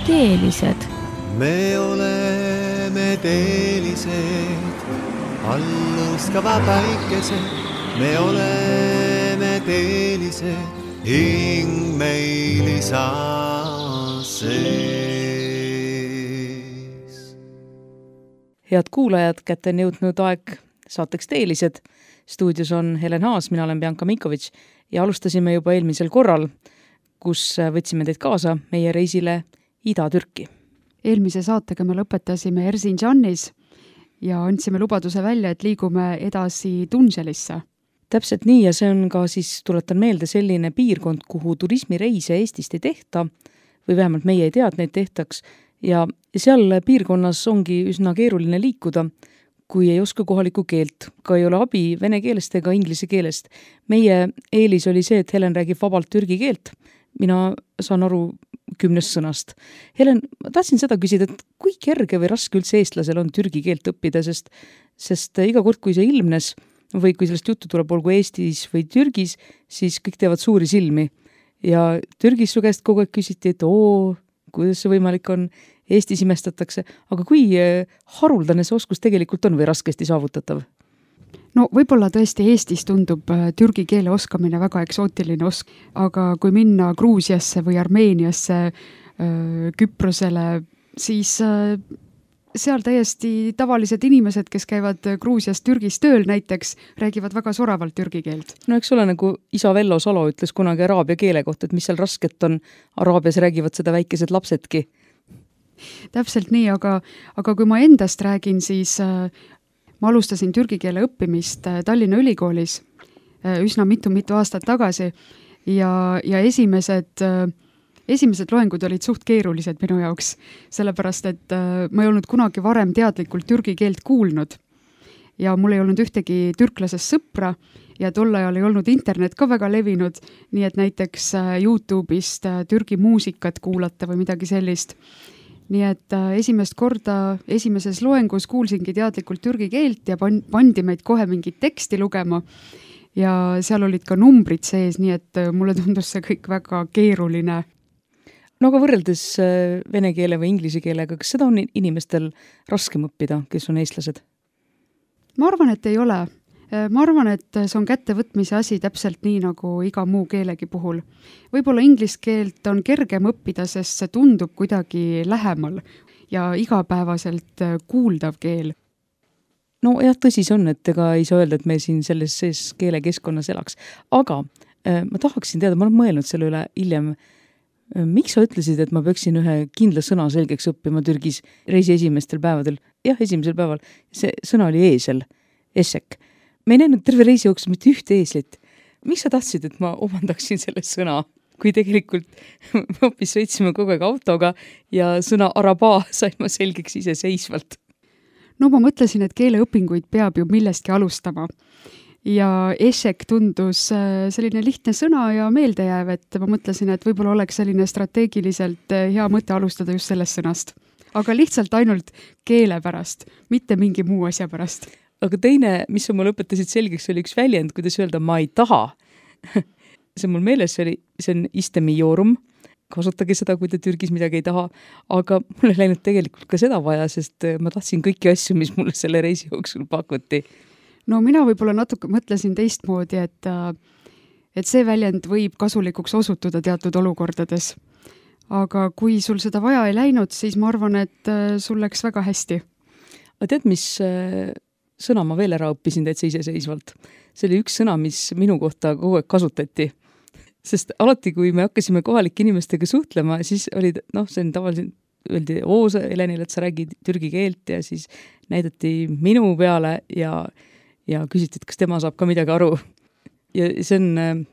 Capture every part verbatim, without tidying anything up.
Teelised. Me oleme teelised, allustava päikesed. Me oleme teelised, hing meil isa sees. Head kuulajad, kätte on jõudnud aeg saateks Teelised. Stuudios on Helen Haas, mina olen Bianca Minkovic ja alustasime juba eelmisel korral, kus võtsime teid kaasa meie reisile Ida-Türki. Eelmise saatega me lõpetasime Erzincanis ja andsime lubaduse välja, et liigume edasi Tunželisse. Täpselt nii ja see on ka siis, tuletan meelde, selline piirkond, kuhu turismireise Eestist ei tehta või vähemalt meie ei tea, et neid tehtaks ja seal piirkonnas ongi üsna keeruline liikuda, kui ei oska kohalikku keelt, ka ei ole abi vene keelest ega inglise keelest. Meie eelis oli see, et Helen räägib vabalt türgi keelt. Mina saan aru kümnest sõnast. Helen, ma tahtsin seda küsida, et kui kerge või raske üldse eestlasel on türgi keelt õppida, sest, sest iga kord, kui see ilmnes või kui sellest juttu tuleb, olgu Eestis või Türgis, siis kõik teevad suuri silmi. Ja Türgis su käest kogu aeg küsiti, et oo, kuidas see võimalik on, Eestis imestatakse, aga kui haruldane see oskus tegelikult on või raskesti saavutatav? No võib-olla tõesti Eestis tundub türgi keele oskamine väga eksootiline osk, aga kui minna Gruusiasse või Armeeniasse, Küprosele, siis seal täiesti tavalised inimesed, kes käivad Gruusias Türgis tööl näiteks, räägivad väga soravalt türgi keelt. No eks ole, nagu isa Vello Salo ütles kunagi araabia keele kohta, et mis seal rasket on, Araabias räägivad seda väikesed lapsedki. Täpselt nii, aga, aga kui ma endast räägin, siis äh, ma alustasin türgi keele õppimist äh, Tallinna Ülikoolis äh, üsna mitu-mitu aastat tagasi ja, ja esimesed, äh, esimesed loengud olid suht keerulised minu jaoks, sellepärast et äh, ma ei olnud kunagi varem teadlikult türgi keelt kuulnud ja mul ei olnud ühtegi türklasest sõpra ja tol ajal ei olnud internet ka väga levinud, nii et näiteks äh, YouTube'ist äh, türgi muusikat kuulata või midagi sellist. Nii et äh, esimest korda esimeses loengus kuulsingi teadlikult türgi keelt ja pan- pandi meid kohe mingit teksti lugema ja seal olid ka numbrid sees, nii et äh, mulle tundus see kõik väga keeruline. No aga võrreldes äh, vene keele või inglise keelega, kas seda on inimestel raskem õppida, kes on eestlased? Ma arvan, et ei ole. Ma arvan, et see on kättevõtmise asi täpselt nii nagu iga muu keelegi puhul. Võib-olla inglise keelt on kergem õppida, sest see tundub kuidagi lähemal ja igapäevaselt kuuldav keel. No jah, tõsi see on, et ega ei saa öelda, et me siin selles sees keelekeskkonnas elaks. Aga äh, ma tahaksin teada, ma olen mõelnud selle üle hiljem, äh, miks sa ütlesid, et ma peaksin ühe kindla sõna selgeks õppima Türgis reisi esimestel päevadel? Jah, esimesel päeval. See sõna oli eesel, esek. Me ei näinud terve reisi jooksul mitte ühte eeslit. Miks sa tahtsid, et ma omandaksin selle sõna, kui tegelikult me hoopis sõitsime kogu aeg autoga ja sõna arabaa sain ma selgeks ise seisvalt? No ma mõtlesin, et keeleõpinguid peab ju millestki alustama. Ja esek tundus selline lihtne sõna ja meeldejääv, et ma mõtlesin, et võib-olla oleks selline strateegiliselt hea mõte alustada just sellest sõnast. Aga lihtsalt ainult keele pärast, mitte mingi muu asja pärast. Aga teine, mis sa mulle õpetasid selgeks, oli üks väljend, kuidas öelda ma ei taha. See mul meeles, see, oli, see on istemiorum. Kasutage seda, kui te Türgis midagi ei taha. Aga mul ei läinud tegelikult ka seda vaja, sest ma tahtsin kõiki asju, mis mulle selle reisi jooksul pakuti. No mina võib-olla natuke mõtlesin teistmoodi, et, et see väljend võib kasulikuks osutuda teatud olukordades. Aga kui sul seda vaja ei läinud, siis ma arvan, et sul läks väga hästi. Aga tead, mis sõna ma veel ära õppisin täitsa iseseisvalt? See oli üks sõna, mis minu kohta kogu aeg kasutati. Sest alati, kui me hakkasime kohalike inimestega suhtlema, siis olid, noh, see on tavaliselt, öeldi, oo, Helenile, et sa räägid türgi keelt ja siis näidati minu peale ja, ja küsiti, et kas tema saab ka midagi aru. Ja see on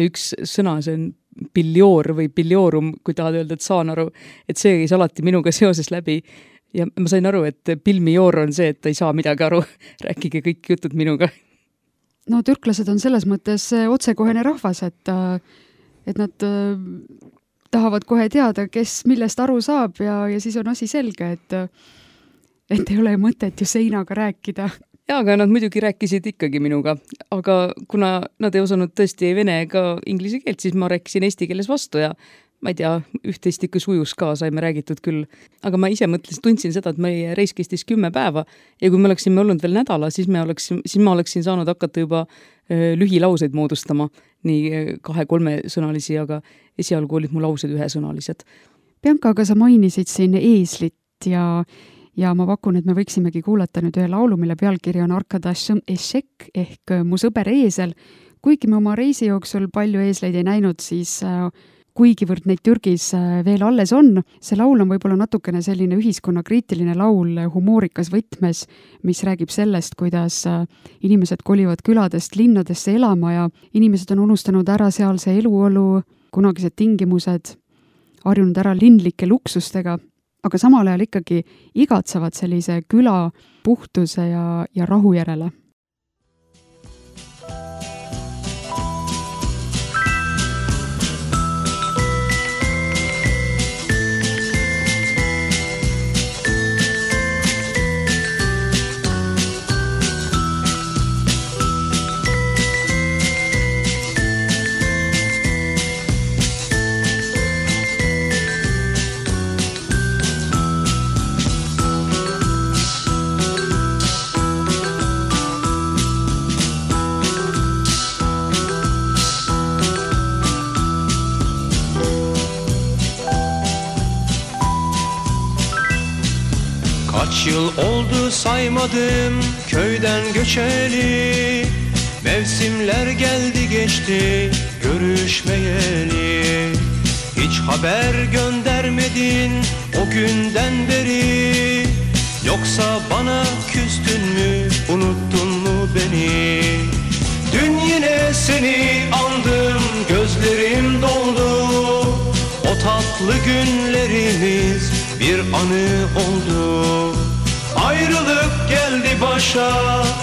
üks sõna, see on biljoor või biljoorum, kui tahad öelda, et saan aru, et see käis alati minuga seoses läbi. Ja ma sain aru, et pilmijoor on see, et ta ei saa midagi aru. Rääkige kõik jutud minuga. No türklased on selles mõttes otsekohene rahvas, et, et nad tahavad kohe teada, kes millest aru saab ja, ja siis on asi selge, et, et ei ole mõtet ju seinaga rääkida. Ja, aga nad muidugi rääkisid ikkagi minuga, aga kuna nad ei osanud tõesti ei vene ega inglise keelt, siis ma rääkisin eesti keeles vastu ja ma ei tea, üht-teist ikka sujus ka, saime räägitud küll. Aga ma ise mõtlesin, tundsin seda, et meie reis kestis kümme päeva ja kui me oleksime olnud veel nädala, siis, me oleksin, siis ma oleksin saanud hakata juba lühilauseid moodustama, nii kahe-kolme sõnalisi, aga esialgu olid mu laused ühesõnalised. Bianca, aga sa mainisid siin eeslit ja, ja ma pakun, et me võiksimegi kuulata nüüd ühe laulu, mille pealkiri on Arkadašõm Ešek ehk Mu sõber eesel. Kuigi me oma reisi jooksul palju eesleid ei näinud, siis kuigivõrd neid Türgis veel alles on. See laul on võib-olla natukene selline ühiskonnakriitiline laul humoorikas võtmes, mis räägib sellest, kuidas inimesed kolivad küladest linnadesse elama ja inimesed on unustanud ära sealse eluolu, kunagised tingimused, harjunud ära linlike luksustega, aga samal ajal ikkagi igatsevad sellise küla puhtuse ja, ja rahu järele. Kaç yıl oldu saymadım köyden göçeli, mevsimler geldi geçti görüşmeyeli. Hiç haber göndermedin o günden beri, yoksa bana küstün mü, unuttun mu beni? Dün yine seni andım, gözlerim doldu, o tatlı günlerimiz bir anı oldu. Ayrılık geldi başa,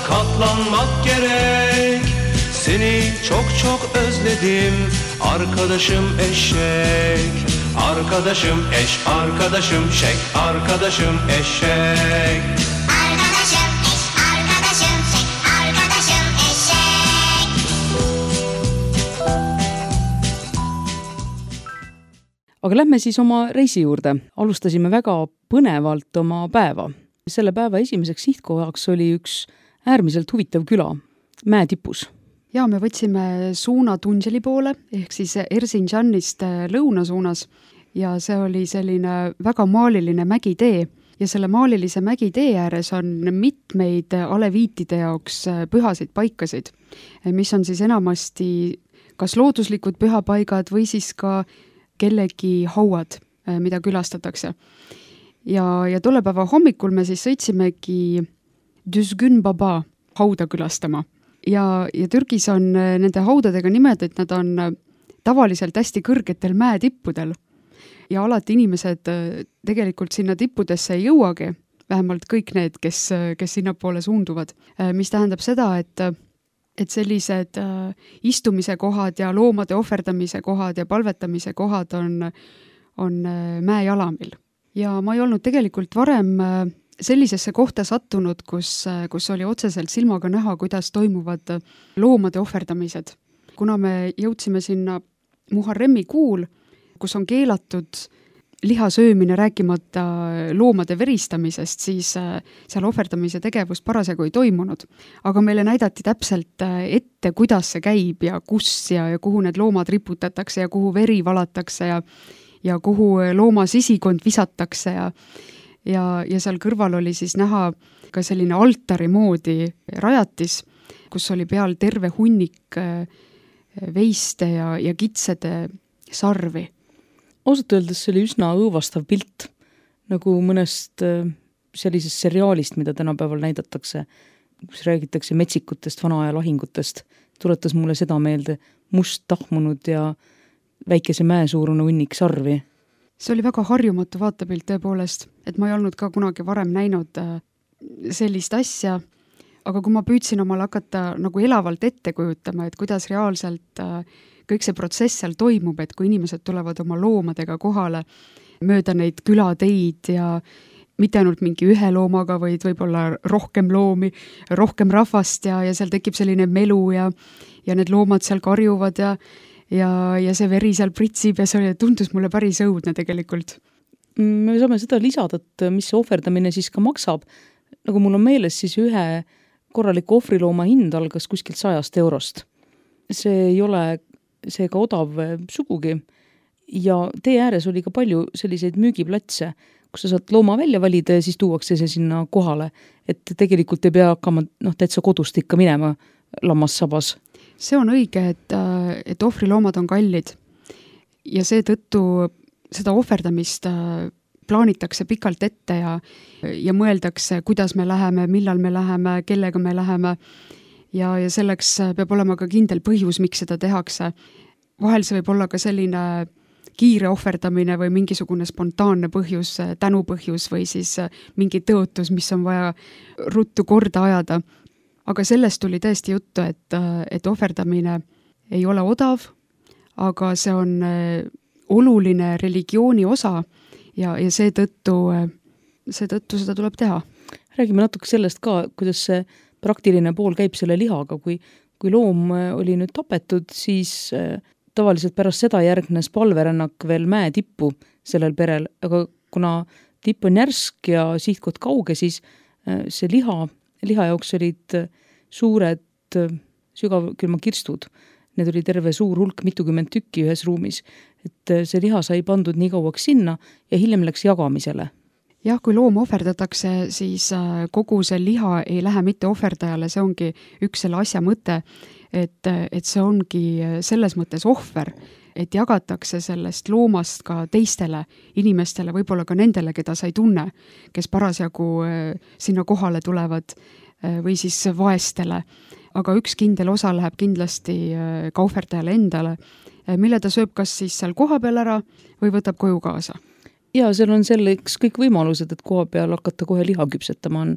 katlanmak gerek. Seni çok çok özledim, arkadaşım eşek. Arkadaşım eş, arkadaşım şek, arkadaşım eşek. Arkadaşım eş, arkadaşım şek, arkadaşım eşek. Aga lähme siis oma reisi juurde. Alustasime väga põnevalt oma päeva. Selle päeva esimeseks sihtkohaks oli üks äärmiselt huvitav küla, Mäetipus. Ja me võtsime suuna Tunželi poole, ehk siis Erzincanist lõuna suunas ja see oli selline väga maaliline mägitee ja selle maalilise mägitee ääres on mitmeid aleviitide jaoks pühasid paikasid, mis on siis enamasti kas looduslikud pühapaigad või siis ka kellegi hauad, mida külastatakse. Ja, ja tolle päeva hommikul me siis sõitsimegi Düzgün Baba hauda külastama. Ja, ja Türgis on nende haudadega nimed, et nad on tavaliselt hästi kõrgetel mäetippudel. Ja alati inimesed tegelikult sinna tippudesse ei jõuagi, vähemalt kõik need, kes, kes sinna poole suunduvad. Mis tähendab seda, et, et sellised istumise kohad ja loomade ohverdamise kohad ja palvetamise kohad on, on mäejalamil. Ja ma ei olnud tegelikult varem sellisesse kohta sattunud, kus, kus oli otseselt silmaga näha, kuidas toimuvad loomade ohverdamised. Kuna me jõudsime sinna Muharremi kuul, kus on keelatud liha söömine rääkimata loomade veristamisest, siis seal ohverdamise tegevus parasjagu ei toimunud. Aga meile näidati täpselt ette, kuidas see käib ja kus ja, ja kuhu need loomad riputatakse ja kuhu veri valatakse ja ja kuhu looma sisikond visatakse ja, ja, ja seal kõrval oli siis näha ka selline altari moodi rajatis, kus oli peal terve hunnik veiste ja, ja kitsede sarvi. Ausalt öeldes see oli üsna õõvastav pilt, nagu mõnest sellisest seriaalist, mida tänapäeval näidatakse, kus räägitakse metsikutest, vanaaja lahingutest. Tuletas mulle seda meelde, must tahmunud ja väikese mäesuurune hunnik sarvi. See oli väga harjumatu vaatepilt tõepoolest, et ma ei olnud ka kunagi varem näinud sellist asja, aga kui ma püüdsin omal hakata nagu elavalt ette kujutama, et kuidas reaalselt kõik see protsess seal toimub, et kui inimesed tulevad oma loomadega kohale mööda neid külateid ja mitte ainult mingi ühe loomaga, vaid võib-olla rohkem loomi, rohkem rahvast ja, ja seal tekib selline melu ja, ja need loomad seal karjuvad ja ja, ja see veri seal pritsib ja see tundus mulle päris õudne tegelikult. Me saame seda lisada, et mis see ohverdamine siis ka maksab. Nagu mul on meeles, siis ühe korraliku ohvrilooma hind algas kuskilt sajast eurost. See ei ole seega odav sugugi ja tee ääres oli ka palju selliseid müügiplatse, kus sa saad looma välja valida ja siis tuuakse see sinna kohale, et tegelikult ei pea hakkama noh, täitsa kodust ikka minema lammassabas. See on õige, et, et ohvriloomad on kallid ja seetõttu seda ohverdamist plaanitakse pikalt ette ja, ja mõeldakse, kuidas me läheme, millal me läheme, kellega me läheme ja, ja selleks peab olema ka kindel põhjus, miks seda tehakse. Vahel see võib olla ka selline kiire ohverdamine või mingisugune spontaanne põhjus, tänupõhjus või siis mingi tõotus, mis on vaja ruttu korda ajada. Aga sellest tuli tõesti juttu, et, et ohverdamine ei ole odav, aga see on oluline religiooni osa ja, ja seetõttu, seetõttu seda tuleb teha. Räägime natuke sellest ka, kuidas see praktiline pool käib selle lihaga. Kui, kui loom oli nüüd tapetud, siis tavaliselt pärast seda järgnes palverännak veel mäe tippu sellel perel, aga kuna tipp on järsk ja sihtkoht kauge, siis see liha, liha jaoks olid suured sügavkülma kirstud. Need oli terve suur hulk, mitukümmend tükki ühes ruumis, et see liha sai pandud nii kauaks sinna ja hiljem läks jagamisele. Jah, kui loom ohverdatakse, siis kogu see liha ei lähe mitte ohverdajale, see ongi üks selle asja mõte, et, et see ongi selles mõttes ohver, et jagatakse sellest loomast ka teistele inimestele, võib-olla ka nendele, keda sa ei tunne, kes parasjagu sinna kohale tulevad või siis vaestele. Aga üks kindel osa läheb kindlasti ka ohverdajale endale, mille ta sööb kas siis seal koha peal ära või võtab koju kaasa. Ja seal on selleks kõik võimalused, et koha peal hakata kohe liha küpsetama. On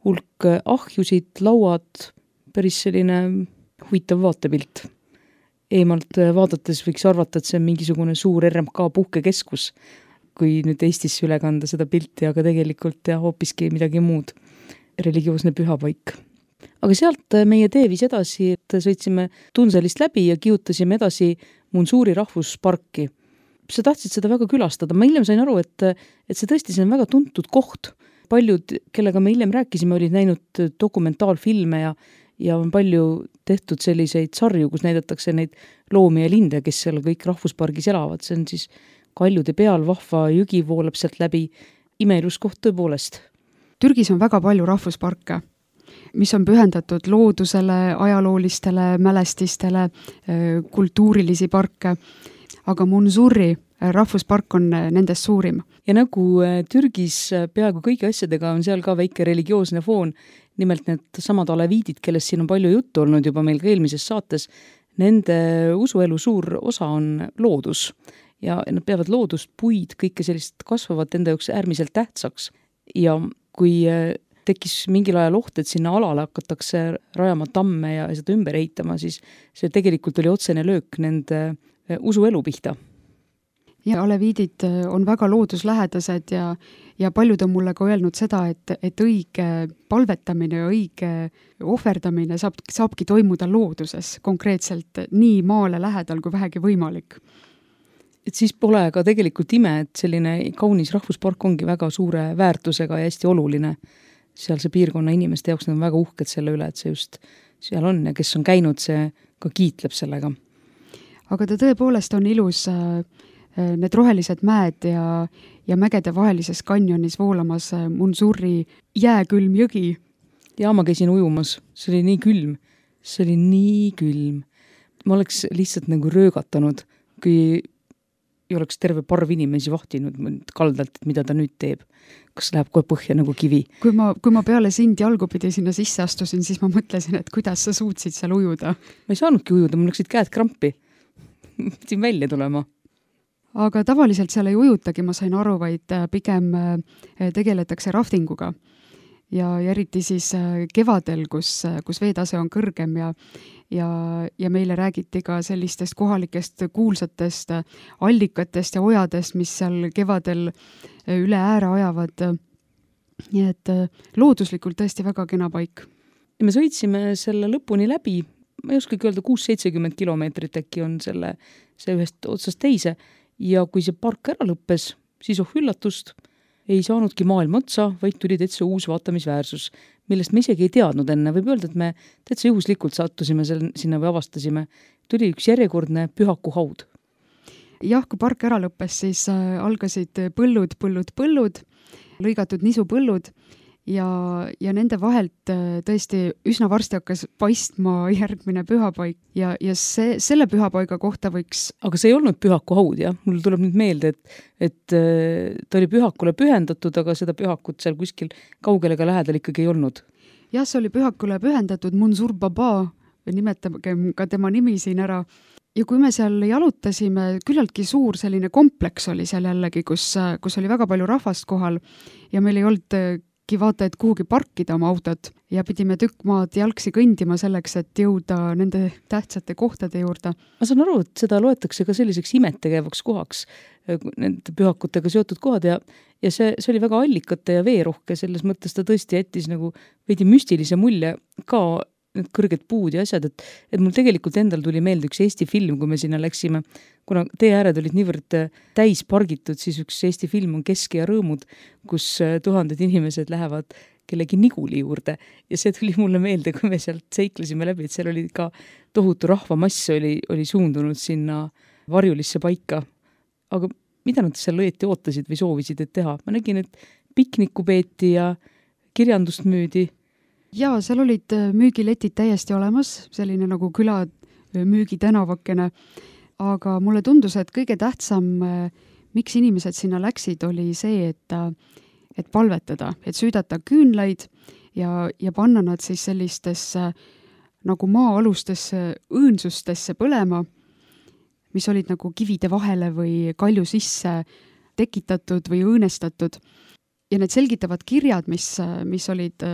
hulk ahjusid, lauad, päris selline huvitav vaatepilt. Eemalt vaadates võiks arvata, et see on mingisugune suur R M K puhkekeskus, kui nüüd Eestisse üle kanda seda pilti, aga tegelikult ja hoopiski midagi muud. Religioosne pühapaik. Aga sealt meie tee viis edasi, et sõitsime Tunselist läbi ja kiutasime edasi Munsuuri rahvusparki. Sa tahtsid seda väga külastada. Ma hiljem sain aru, et, et see tõesti see on väga tuntud koht. Paljud, kellega me hiljem rääkisime, olid näinud dokumentaalfilme ja, ja on palju tehtud selliseid sarju, kus näidatakse neid loomi ja linde, kes seal kõik rahvuspargis elavad. See on siis kaljude peal, vahva jõgi voolab sealt läbi. Imeilus koht tõepoolest. Türgis on väga palju rahvusparke, mis on pühendatud loodusele, ajaloolistele mälestistele, kultuurilisi parke, aga Munsuuri rahvuspark on nendest suurim. Ja nagu Türgis peaaegu kõigi asjadega on seal ka väike religioosne foon, nimelt need samad aleviidid, kellest siin on palju juttu olnud juba meil ka eelmises saates, nende usuelu suur osa on loodus ja nad peavad loodust, puid, kõike sellist kasvavat enda jaoks äärmiselt tähtsaks ja kui tekkis mingil ajal oht, et sinna alale hakatakse rajama tamme ja seda ümber ehitama, siis see tegelikult oli otsene löök nende usuelu pihta. Ja aleviidid on väga looduslähedased ja, ja paljud on mulle ka öelnud seda, et, et õige palvetamine ja õige ohverdamine saab, saabki toimuda looduses, konkreetselt nii maale lähedal kui vähegi võimalik. Et siis pole ka tegelikult ime, et selline kaunis rahvuspark ongi väga suure väärtusega ja hästi oluline. Seal see piirkonna inimeste jaoks on väga uhked selle üle, et see just seal on ja kes on käinud, see ka kiitleb sellega. Aga ta tõepoolest on ilus, need rohelised mäed ja, ja mägede vahelises kanjonis voolamas Munsuuri jääkülm jõgi. Ja ma käisin ujumas, see oli nii külm, see oli nii külm. Ma oleks lihtsalt nagu röögatanud, kui ei oleks terve parv inimesi vahtinud kaldalt, et mida ta nüüd teeb. Kas läheb kohe põhja nagu kivi? Kui ma, kui ma peale sind jalgupidi sinna sisse astusin, siis ma mõtlesin, et kuidas sa suutsid seal ujuda. Ma ei saanudki ujuda, mul läksid käed krampi. Pidin välja tulema. Aga tavaliselt seal ei ujutagi, ma sain aru, vaid pigem tegeletakse raftinguga. Ja, ja eriti siis kevadel, kus, kus veetase on kõrgem ja, ja, ja meile räägiti ka sellistest kohalikest kuulsatest allikatest ja ojadest, mis seal kevadel üle ääre ajavad. Nii et looduslikult tõesti väga kena paik. Me sõitsime selle lõpuni läbi ma ei oskagi öelda, kuus seitsekümmend kilomeetrit äkki on selle, see ühest otsast teise ja kui see park ära lõppes, siis oh üllatust, ei saanudki maailma otsa, vaid tuli täitsa uus vaatamisväärsus, millest me isegi ei teadnud enne. Võib öelda, et me täitsa juhuslikult sattusime selle, sinna või avastasime. Tuli üks järjekordne Pühaku haud. Jah, kui park ära lõppes, siis äh, algasid põllud, põllud, põllud, lõigatud nisupõllud ja, ja nende vahelt äh, tõesti üsna varsti hakkas paistma järgmine pühapaik ja, ja see, selle pühapaiga kohta võiks... Aga see ei olnud Pühaku haud, jah? Mul tuleb nüüd meelde, et, et äh, ta oli Pühakule pühendatud, aga seda Pühakut seal kuskil kaugelega lähedal ikkagi ei olnud. Jah, see oli Pühakule pühendatud Munsur Baba, nimetagem ka tema nimi siin ära. Ja kui me seal jalutasime, küllaltki suur selline kompleks oli seal jällegi, kus, kus oli väga palju rahvast kohal ja meil ei oldki vaata, et kuhugi parkida oma autot ja pidime tükk maad jalgsi kõndima selleks, et jõuda nende tähtsate kohtade juurde. Ma saan aru, et seda loetakse ka selliseks imetegevaks kohaks, nende pühakutega seotud kohad ja, ja see, see oli väga allikate ja veerohke, selles mõttes ta tõesti jättis nagu veidi müstilise mulje ka need kõrged puud ja asjad, et, et mul tegelikult endal tuli meelde üks Eesti film, kui me sinna läksime, kuna tee ääred olid niivõrd täis pargitud, siis üks Eesti film on Keske ja rõõmud, kus tuhanded inimesed lähevad kellegi niguli juurde ja see tuli mulle meelde, kui me sealt seiklesime läbi, et seal oli ka tohutu rahvamass oli, oli suundunud sinna varjulisse paika. Aga mida nad seal õieti ootasid või soovisid, et teha? Ma nägin, et pikniku peeti ja kirjandust müüdi. Jaa, seal olid müügiletid täiesti olemas, selline nagu küla müügitänavakene, aga mulle tundus, et kõige tähtsam, miks inimesed sinna läksid, oli see, et, et palvetada, et süüdata küünlaid ja, ja panna nad siis sellistesse nagu maa-alustesse õõnsustesse põlema, mis olid nagu kivide vahele või kalju sisse tekitatud või õõnestatud. Ja need selgitavad kirjad, mis, mis olid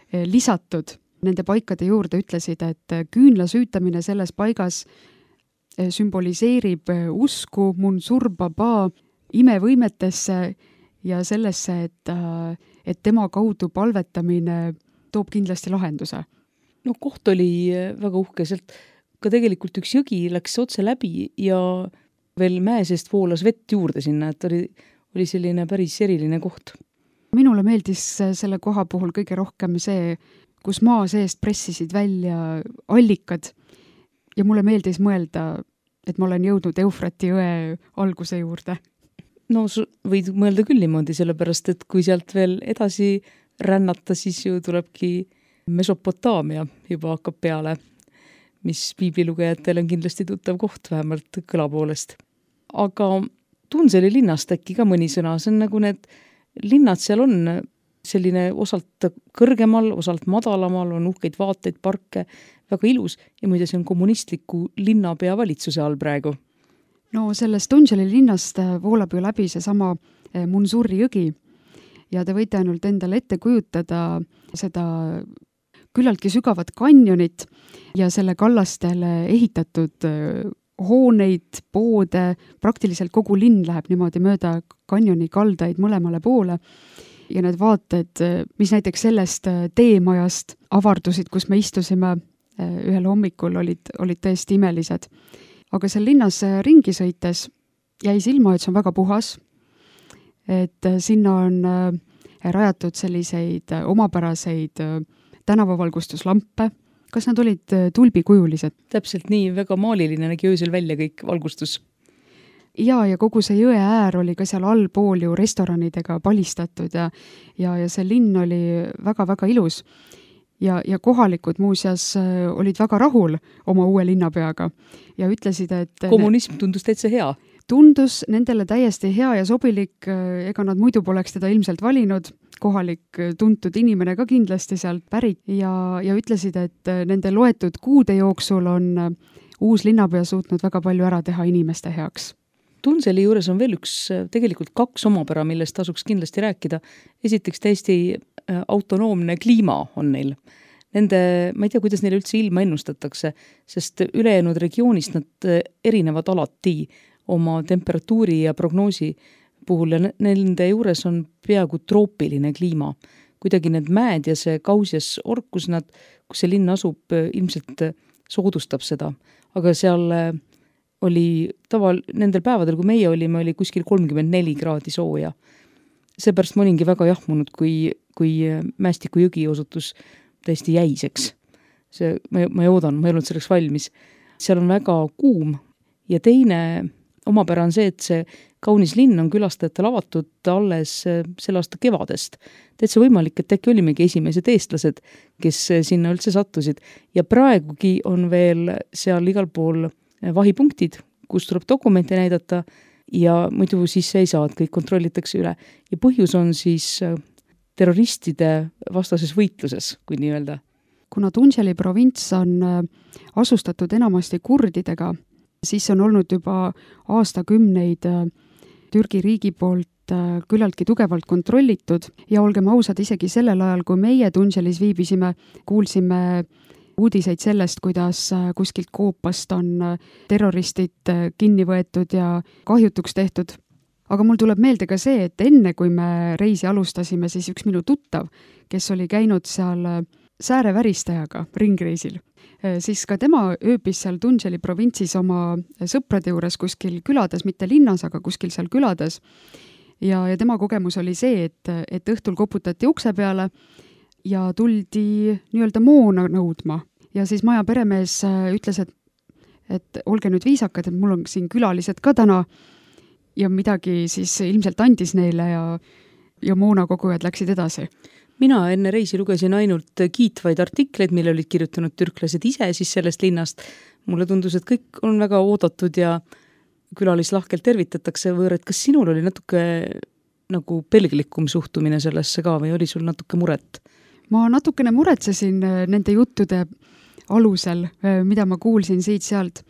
lisatud nende paikade juurde, ütlesid, et küünla süütamine selles paigas sümboliseerib usku Munsur Baba imevõimetesse ja sellesse, et, et tema kaudu palvetamine toob kindlasti lahenduse. No koht oli väga uhke, sealt ka tegelikult üks jõgi läks otse läbi ja veel mäe seest voolas vett juurde sinna, et oli, oli selline päris eriline koht. Minule meeldis selle koha puhul kõige rohkem see, kus maa seest pressisid välja allikad ja mulle meeldis mõelda, et ma olen jõudnud Eufrati jõe alguse juurde. No võid mõelda küll niimoodi, sellepärast, et kui sealt veel edasi rännata, siis ju tulebki Mesopotaamia juba hakkab peale, mis piiblilugejatel on kindlasti tuttav koht, vähemalt kõla poolest. Aga Tunseli linnast äkki ka mõni sõna, see on nagu need linnad seal on selline osalt kõrgemal, osalt madalamal, on uhkeid vaateid, parke, väga ilus ja muide see on kommunistliku linnapea valitsuse all praegu. No sellest Tunseli linnast voolab ju läbi see sama Munsuri jõgi ja te võite ainult endale ette kujutada seda küllaltki sügavat kanjonit ja selle kallastele ehitatud hooneid, poode, praktiliselt kogu linn läheb niimoodi mööda kanjoni kaldaid mõlemale poole ja need vaated, mis näiteks sellest teemajast avardusid, kus me istusime ühel hommikul, olid, olid tõesti imelised. Aga seal linnas ringi sõites jäi silma, et see on väga puhas, et sinna on rajatud selliseid omapäraseid tänavavalgustuslampe. Kas nad olid tulbikujulised? Täpselt nii, väga maaliline nägi öösel välja kõik valgustus. Ja, ja kogu see jõe äär oli ka seal allpool ju restoranidega palistatud ja, ja, ja see linn oli väga-väga ilus. Ja, ja kohalikud muuseas olid väga rahul oma uue linnapeaga ja ütlesid, et... Kommunism tundus täitsa hea. Tundus nendele täiesti hea ja sobilik, ega nad muidu poleks teda ilmselt valinud, kohalik tuntud inimene ka kindlasti sealt pärit ja, ja ütlesid, et nende loetud kuude jooksul on uus linnapea suutnud väga palju ära teha inimeste heaks. Tunseli juures on veel üks, tegelikult kaks omapära, millest tasuks kindlasti rääkida. Esiteks täiesti autonoomne kliima on neil. Nende, ma ei tea, kuidas neile üldse ilma ennustatakse, sest ülejäänud regioonist nad erinevad alati oma temperatuuri ja prognoosi puhul ja nende juures on peaaegu troopiline kliima. Kuidagi need mäed ja see Kausias orkus, nad, kus see linn asub, ilmselt soodustab seda. Aga seal oli taval, nendel päevadel, kui meie olime, oli kuskil kolmkümmend neli kraadi sooja. Seepärast ma olingi väga jahmunud, kui, kui Mästiku jõgi osutus täiesti jäiseks. See, ma, ma ei oodan, ma ei olnud selleks valmis. Seal on väga kuum ja teine omapära on see, et see kaunis linn on külastajatel avatud alles selle aasta kevadest. Täitsa võimalik, et äkki olimegi esimesed eestlased, kes sinna üldse sattusid. Ja praegugi on veel seal igal pool vahipunktid, kus tuleb dokumente näidata ja muidu siis ei saa, et kõik kontrollitakse üle. Ja põhjus on siis terroristide vastases võitluses, kui nii öelda. Kuna Tunželi provints on asustatud enamasti kurdidega, siis on olnud juba aastakümneid Türgi riigi poolt küllalt tugevalt kontrollitud ja olgem ausad, isegi sellel ajal, kui meie Tunželis viibisime, kuulsime uudiseid sellest, kuidas kuskilt koopast on terroristid kinni võetud ja kahjutuks tehtud. Aga mul tuleb meelde ka see, et enne kui me reisi alustasime, siis üks minu tuttav, kes oli käinud seal sääreväristajaga ringreisil, siis ka tema ööbis seal Tunželi provintsis oma sõprade juures kuskil külades, mitte linnas, aga kuskil seal külades. Ja, ja tema kogemus oli see, et, et õhtul koputati ukse peale ja tuldi nii-öelda moona nõudma. Ja siis maja peremees ütles, et, et olge nüüd viisakad, et mul on siin külalised ka täna ja midagi siis ilmselt andis neile ja, ja moona kogujad läksid edasi. Mina enne reisi lugesin ainult kiitvaid artikleid, mille olid kirjutanud türklased ise siis sellest linnast. Mulle tundus, et kõik on väga oodatud ja külalislahkelt tervitatakse võõrad. Kas sinul oli natuke nagu pelglikum suhtumine sellesse ka või oli sul natuke muret? Ma natukene muretsesin nende juttude alusel, mida ma kuulsin siit-sealt.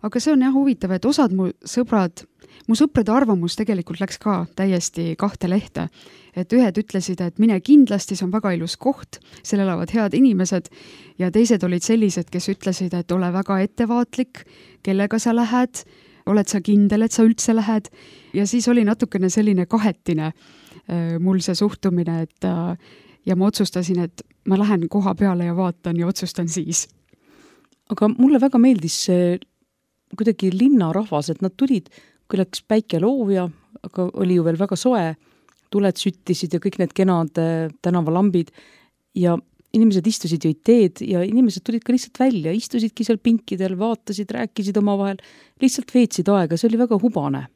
Aga see on jah huvitav, et osad mu sõbrad, mu sõprade arvamus tegelikult läks ka täiesti kahte lehte. Et ühed ütlesid, et mine kindlasti, see on väga ilus koht, seal elavad head inimesed ja teised olid sellised, kes ütlesid, et ole väga ettevaatlik, kellega sa lähed, oled sa kindel, et sa üldse lähed ja siis oli natukene selline kahetine mul see suhtumine, et ja ma otsustasin, et ma lähen koha peale ja vaatan ja otsustan siis. Aga mulle väga meeldis see kuidagi linnarahvas, et nad tulid, kui läks päike loovja, aga oli ju veel väga soe, tuled süttisid ja kõik need kenad tänavalambid ja inimesed istusid jõid teed ja inimesed tulid ka lihtsalt välja, istusidki seal pinkidel, vaatasid, rääkisid omavahel, lihtsalt veetsid aega, see oli väga hubane.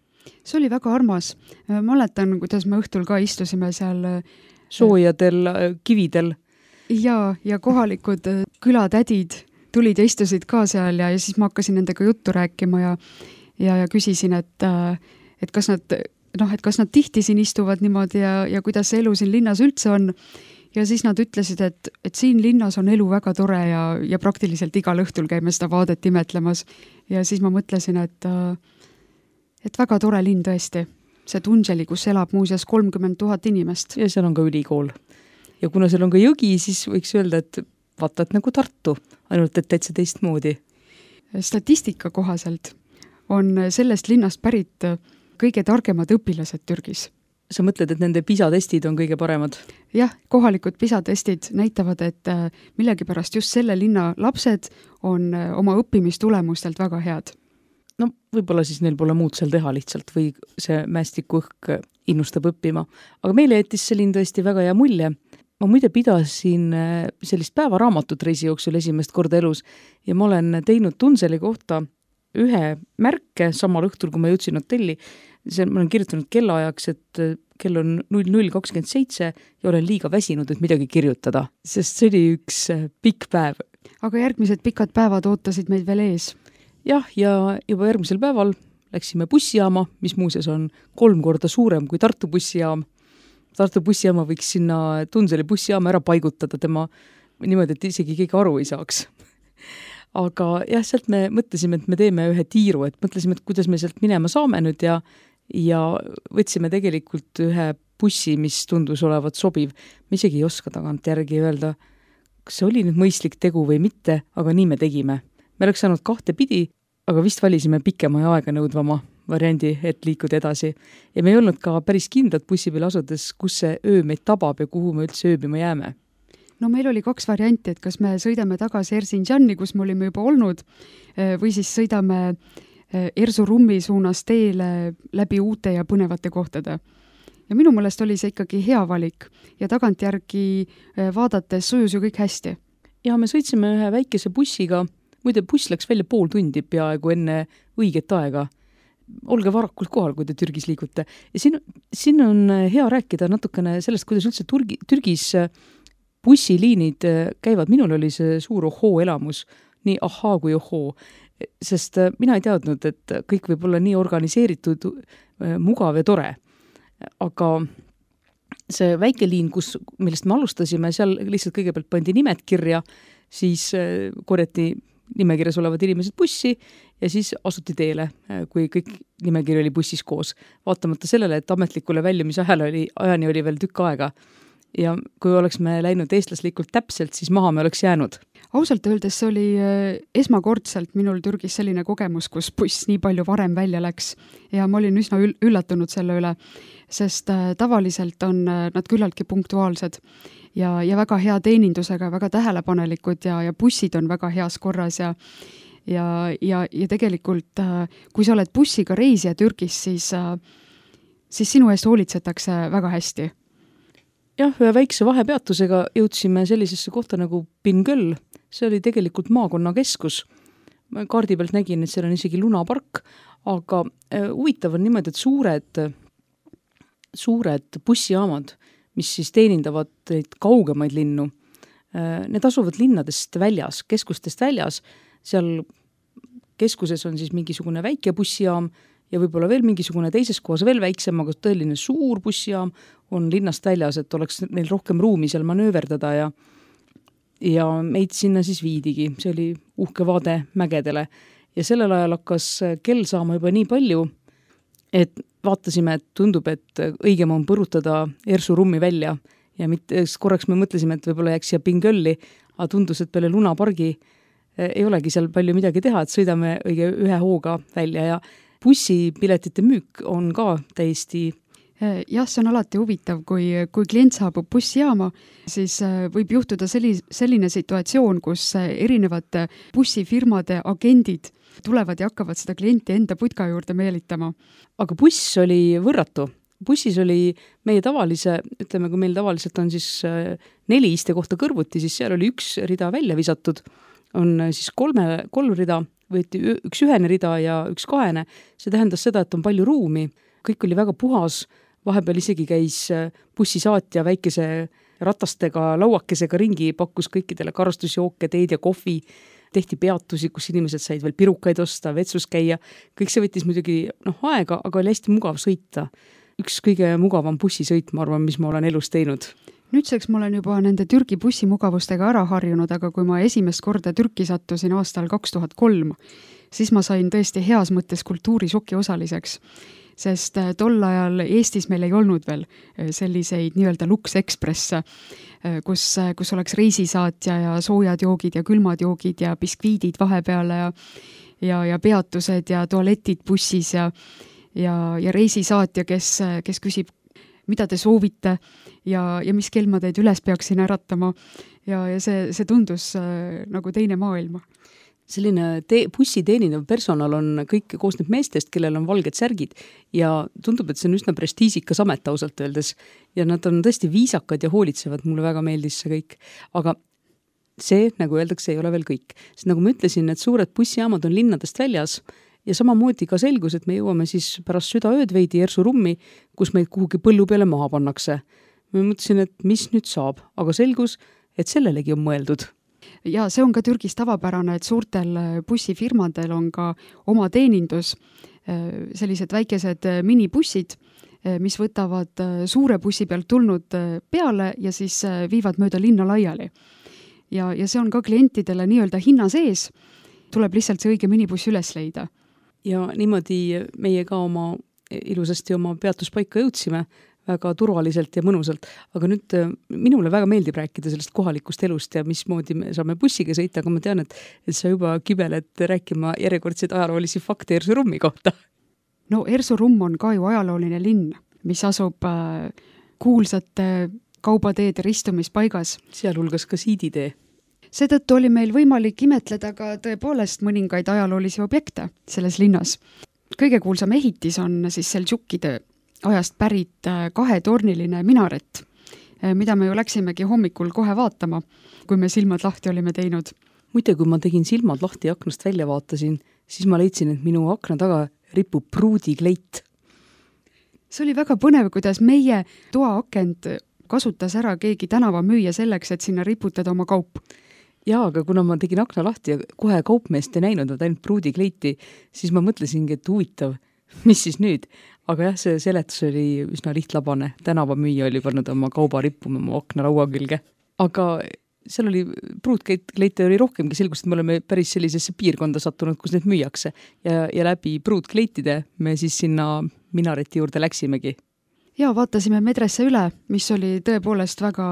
See oli väga armas. Ma mäletan, kuidas me õhtul ka istusime seal soojadel kividel. Ja, ja kohalikud külatädid tulid ja istusid ka seal ja, ja siis ma hakkasin nendega juttu rääkima ja, ja, ja küsisin, et, et, kas nad, noh, et kas nad tihti siin istuvad niimoodi ja, ja kuidas see elu siin linnas üldse on. Ja siis nad ütlesid, et, et siin linnas on elu väga tore ja, ja praktiliselt igal õhtul käime seda vaadet imetlemas. Ja siis ma mõtlesin, et, et väga tore linn tõesti. See Tunželi, kus elab muuseas kolmkümmend tuhat inimest. Ja seal on ka ülikool. Ja kuna seal on ka jõgi, siis võiks öelda, et vaatad nagu Tartu, ainult et täitsa teist moodi. Statistika kohaselt on sellest linnast pärit kõige targemad õpilased Türgis. Sa mõtled, et nende PISA-testid on kõige paremad? Jah, kohalikud PISA-testid näitavad, et millegipärast just selle linna lapsed on oma õppimistulemustelt väga head. No võib-olla siis neil pole muud seal teha lihtsalt või see Mästiku õhk innustab õppima. Aga meile jättis see linn tõesti väga hea mulje. Ma muide pidasin sellist päevaraamatut reisi jooksul esimest korda elus ja ma olen teinud Tunželi kohta ühe märke samal õhtul, kui ma jõudsin hotelli. See, ma olen kirjutanud kellaajaks, et kell on null null kakskümmend seitse ja olen liiga väsinud, et midagi kirjutada, sest see oli üks pikk päev. Aga järgmised pikad päevad ootasid meid veel ees. Jah, ja juba järgmisel päeval läksime bussijaama, mis muuseas on kolm korda suurem kui Tartu bussijaam. Tartu bussijaama võiks sinna Tunželi bussijaama ära paigutada tema niimoodi, et isegi keegi aru ei saaks. Aga jah, sealt me mõtlesime, et me teeme ühe tiiru, et mõtlesime, et kuidas me sealt minema saame nüüd ja, ja võtsime tegelikult ühe bussi, mis tundus olevat sobiv. Me isegi ei oska tagant järgi öelda, kas see oli nüüd mõistlik tegu või mitte, aga nii me tegime. Me oleks saanud kahte pidi, aga vist valisime pikema ja aega nõudvama variandi, et liikuda edasi. Ja me ei olnud ka päris kindlad bussi peal asudes, kus see öö meid tabab ja kuhu me üldse ööbima jääme. no meil oli kaks varianti, et kas me sõidame tagasi Erzinjani, kus me olime juba olnud, või siis sõidame Erzurum-i suunas teele läbi uute ja põnevate kohtade. Ja minu mõelest oli see ikkagi hea valik ja tagantjärgi vaadates sujus ju kõik hästi. Ja me sõitsime ühe väikese bussiga, muide buss läks välja pool tundi peaaegu enne õiget aega. Olge varakult kohal, kui te Türgis liigute. Ja siin, siin on hea rääkida natukene sellest, kuidas üldse Turgi, Türgis bussiliinid käivad. Minul oli see suur ohoo elamus, nii ahaa kui ohoo. Sest mina ei teadnud, et kõik võib olla nii organiseeritud, mugav ja tore. Aga see väike liin, kus, millest me alustasime, seal lihtsalt kõigepealt pandi nimed kirja, siis korjati nimekirjas olevad inimesed bussi ja siis asuti teele, kui kõik nimekiri oli bussis koos. Vaatamata sellele, et ametlikule väljumise ajal oli, ajani oli veel tükk aega. Ja kui oleks me läinud eestlaslikult täpselt, siis maha me oleks jäänud. Ausalt öeldes see oli esmakordselt minul Türgis selline kogemus, kus buss nii palju varem välja läks ja ma olin üsna üllatunud selle üle, sest tavaliselt on nad küllaltki punktuaalsed ja, ja väga hea teenindusega, väga tähelepanelikud ja, ja bussid on väga heas korras ja ja, ja, ja tegelikult kui sa oled bussiga reisija Türgis, siis, siis sinu eest hoolitsetakse väga hästi. Jah, ühe väikse vahepeatusega jõudsime sellisesse kohta nagu Bingöl. See oli tegelikult maakonna keskus. Ma kaardi pealt nägin, et seal on isegi lunapark, aga huvitav on niimoodi, et suured, suured bussijaamad, mis siis teenindavad neid kaugemaid linnu, need asuvad linnadest väljas, keskustest väljas. Seal keskuses on siis mingisugune väike bussijaam ja võib-olla veel mingisugune teises kohas veel väiksem, aga tõeline suur bussijaam on linnast väljas, et oleks neil rohkem ruumi seal manööverdada ja, ja meid sinna siis viidigi. See oli uhke vaade mägedele ja sellel ajal hakkas kell saama juba nii palju, et vaatasime, et tundub, et õigem on põrutada Erzurumi välja ja mitte, korraks me mõtlesime, et võib-olla jääks siia Bingölli, aga tundus, et peale lunapargi ei olegi seal palju midagi teha, et sõidame õige ühe hooga välja ja bussipiletite müük on ka täiesti. Jah, see on alati huvitav, kui, kui klient saabub bussijaama, siis võib juhtuda selli, selline situatsioon, kus erinevad bussifirmade agendid tulevad ja hakkavad seda klienti enda putka juurde meelitama. Aga buss oli võrratu. Bussis oli meie tavalise, ütleme, kui meil tavaliselt on siis neli iste kohta kõrvuti, siis seal oli üks rida välja visatud, on siis kolme, kolm rida, võeti üks ühene rida ja üks kahene. See tähendas seda, et on palju ruumi. Kõik oli väga puhas. Vahepeal isegi käis bussisaatja väikese ratastega, lauakesega ringi, pakkus kõikidele karastusjooke, teed ja kohvi. Tehti peatusi, kus inimesed said veel pirukaid osta, vetsus käia. Kõik see võttis muidugi noh, aega, aga oli hästi mugav sõita. Üks kõige mugavam bussisõit, ma arvan, mis ma olen elus teinud. Nüüdseks ma olen juba nende Türgi bussimugavustega ära harjunud, aga kui ma esimest korda Türki sattusin aastal kaks tuhat kolm, siis ma sain tõesti heas mõttes kultuurišoki osaliseks, sest tol ajal Eestis meil ei olnud veel selliseid nii-öelda Lux Express, kus, kus oleks reisisaatja ja soojad joogid ja külmad joogid ja biskviidid vahepeale ja, ja, ja peatused ja tualetid bussis ja, ja, ja reisisaatja, kes, kes küsib, mida te soovite ja, ja mis kell ma teid üles peaksin äratama ja, ja see, see tundus äh, nagu teine maailma. Selline te- bussi teenindav personal on kõik koosneb meestest, kellel on valged särgid ja tundub, et see on üsna prestiisikas amet ausalt öeldes ja nad on tõesti viisakad ja hoolitsevad, mulle väga meeldis see kõik, aga see, nagu öeldakse, ei ole veel kõik. Sest nagu ma ütlesin, et suured bussijaamad on linnadest väljas ja samamoodi ka selgus, et me jõuame siis pärast südaööd veidi Erzurumi, kus meid kuhugi põllu peale maha pannakse. Ma mõtlesin, et mis nüüd saab, aga selgus, et sellelegi on mõeldud. Ja see on ka Türgis tavapärane, et suurtel bussifirmadel on ka oma teenindus, sellised väikesed minibussid, mis võtavad suure bussi pealt tulnud peale ja siis viivad mööda linna laiali. Ja, ja see on ka klientidele nii-öelda hinna sees, tuleb lihtsalt see õige minibuss üles leida. Ja niimoodi meie ka oma ilusasti oma peatuspaika jõudsime väga turvaliselt ja mõnusalt, aga nüüd minule väga meeldib rääkida sellest kohalikust elust ja mismoodi me saame bussiga sõita, aga ma tean, et, et sa juba kibeled rääkima järjekordseid ajaloolisi fakte Erzurumi kohta. No Erzurum on ka ju ajalooline linn, mis asub äh, kuulsate kaubateede ristumispaigas. Sealhulgas ka siiditee. Seetõttu oli meil võimalik imetleda ka tõepoolest mõningaid ajaloolisi objekte selles linnas. Kõige kuulsam ehitis on siis Seldžukide ajast pärit kahetorniline minaret, mida me ju läksimegi hommikul kohe vaatama, kui me silmad lahti olime teinud. Muide, kui ma tegin silmad lahti ja aknast välja vaatasin, siis ma leidsin, et minu akna taga ripub pruudikleit. See oli väga põnev, kuidas meie toaakent kasutas ära keegi tänava müüja selleks, et sinna riputada oma kaup. Jaa, aga kuna ma tegin akna lahti ja kohe kaupmeest ei näinud, et ainult pruudikleiti, siis ma mõtlesingi, et huvitav, mis siis nüüd? Aga jah, see seletus oli üsna lihtlabane. Tänava müüja oli pannud oma kauba rippuma mu akna laua külge. Aga seal oli pruudkleite oli rohkemgi, selgus, et me oleme päris sellisesse piirkonda sattunud, kus need müüakse. Ja, ja läbi pruudkleitide me siis sinna minareti juurde läksimegi. Ja vaatasime medresse üle, mis oli tõepoolest väga,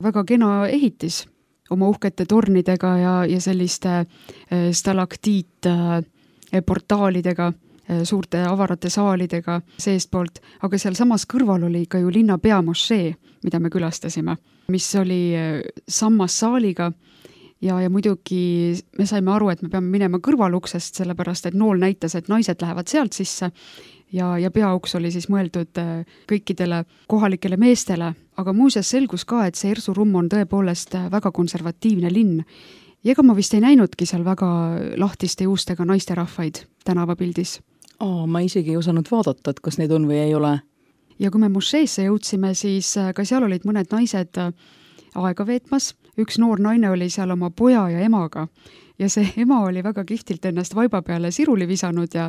väga kena ehitis oma uhkete tornidega ja, ja selliste stalaktiit portaalidega, suurte avarate saalidega seestpoolt, aga seal samas kõrval oli ka ju linna peamošee, mida me külastasime, mis oli sammas saaliga ja, ja muidugi me saime aru, et me peame minema kõrvaluksest, sellepärast et nool näitas, et naised lähevad sealt sisse ja, ja peauks oli siis mõeldud kõikidele kohalikele meestele, aga muuseas selgus ka, et see Erzurum on tõepoolest väga konservatiivne linn. Ja ega ma vist ei näinudki seal väga lahtiste juustega naisterahvaid tänavapildis. Aa, ma isegi ei osanud vaadata, et kas neid on või ei ole. Ja kui me mošeesse jõudsime, siis ka seal olid mõned naised aega veetmas. Üks noor naine oli seal oma poja ja emaga. Ja see ema oli väga kihtilt ennast vaiba peale siruli visanud ja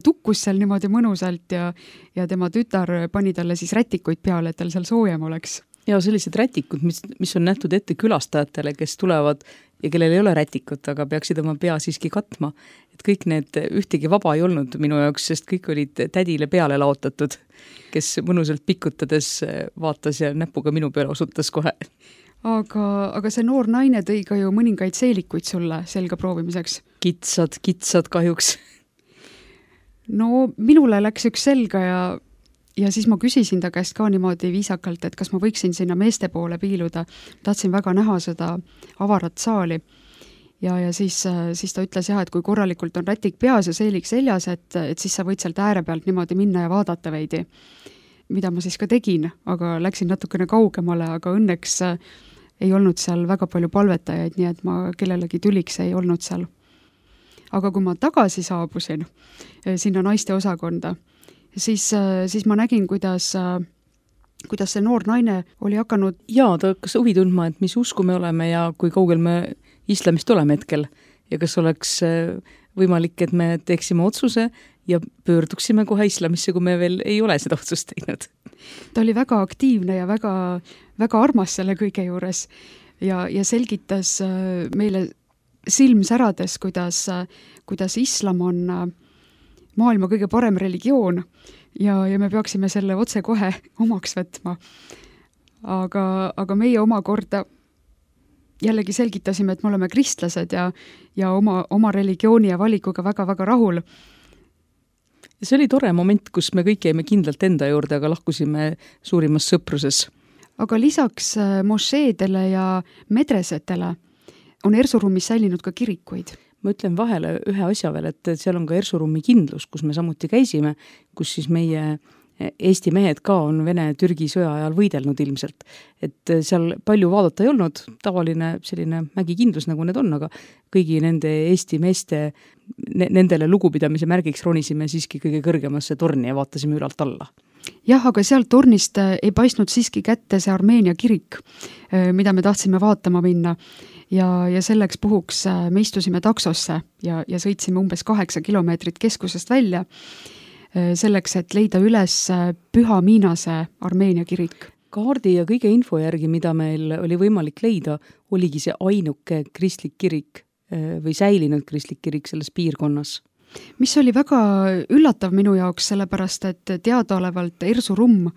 tukkus seal niimoodi mõnusalt ja, ja tema tütar pani talle siis rätikuid peale, et tal seal soojem oleks. Ja sellised rätikud, mis, mis on nähtud ette külastajatele, kes tulevad ja kellel ei ole rätikut, aga peaksid oma pea siiski katma. Et kõik need ühtegi vaba ei olnud minu jaoks, sest kõik olid tädile peale laotatud, kes mõnusalt pikutades vaatas ja näpuga minu peale osutas kohe. Aga, aga see noor naine tõi ka ju mõningaid seelikuid sulle selga proovimiseks. Kitsad, kitsad kahjuks. No minule läks üks selga ja Ja siis ma küsisin ta käest ka niimoodi viisakalt, et kas ma võiksin sinna meeste poole piiluda. Tahtsin väga näha seda avarat saali. Ja, ja siis, siis ta ütles jah, et kui korralikult on rätik peas ja seelik seljas, et, et siis sa võid sealt ääre pealt niimoodi minna ja vaadata veidi. Mida ma siis ka tegin, aga läksin natukene kaugemale, aga õnneks ei olnud seal väga palju palvetajaid, nii et ma kellelegi tüliks ei olnud seal. Aga kui ma tagasi saabusin sinna naiste osakonda, Siis, siis ma nägin, kuidas, kuidas see noor naine oli hakanud... Jaa, ta hakkas huvi tundma, et mis usku me oleme ja kui kaugel me islamist oleme hetkel. Ja kas oleks võimalik, et me teeksime otsuse ja pöörduksime kohe islamisse, kui me veel ei ole seda otsust teinud. Ta oli väga aktiivne ja väga, väga armas selle kõige juures ja, ja selgitas meile silmsärades, kuidas, kuidas islam on... maailma kõige parem religioon ja, ja me peaksime selle otse kohe omaks võtma. Aga, aga meie oma korda jällegi selgitasime, et me oleme kristlased ja, ja oma, oma religiooni ja valikuga väga-väga rahul. See oli tore moment, kus me kõik jäime kindlalt enda juurde, aga lahkusime suurimas sõpruses. Aga lisaks mošeedele ja medresetele on Erzurumis säilinud ka kirikuid. Ma ütlen vahele ühe asja veel, et seal on ka Erzurumi kindlus, kus me samuti käisime, kus siis meie Eesti mehed ka on Vene-Türgi sõja ajal võidelnud ilmselt. Et seal palju vaadata ei olnud, tavaline selline mägikindlus nagu need on, aga kõigi nende Eesti meeste, nendele lugupidamise märgiks ronisime siiski kõige kõrgemasse torni ja vaatasime ülalt alla. Jah, aga sealt tornist ei paistnud siiski kätte see Armeenia kirik, mida me tahtsime vaatama minna. Ja, ja selleks puhuks me istusime taksosse ja, ja sõitsime umbes kaheksa kilomeetrit keskusest välja selleks, et leida üles Püha Miinase Armeenia kirik. Kaardi ja kõige info järgi, mida meil oli võimalik leida, oligi see ainuke kristlik kirik või säilinud kristlik kirik selles piirkonnas. Mis oli väga üllatav minu jaoks, sellepärast et teadaolevalt Erzurum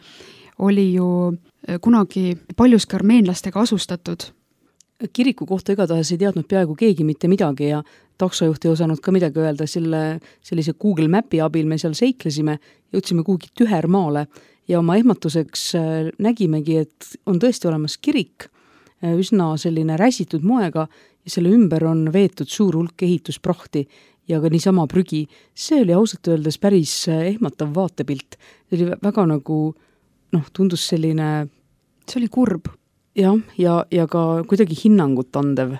oli ju kunagi paljuski armeenlastega asustatud. Kiriku kohta igatahes ei teadnud peaaegu keegi mitte midagi ja taksojuht ei osanud ka midagi öelda, selle, sellise Google Mapi abil me seal seiklesime, jõudsime kuhugi tühermaale ja oma ehmatuseks nägimegi, et on tõesti olemas kirik, üsna selline räsitud moega ja selle ümber on veetud suur hulk ehitusprahti ja ka niisama prügi. See oli ausalt öeldes päris ehmatav vaatepilt. See oli väga nagu, noh, tundus selline... See oli kurb. Jah, ja, ja ka kuidagi hinnangut andev.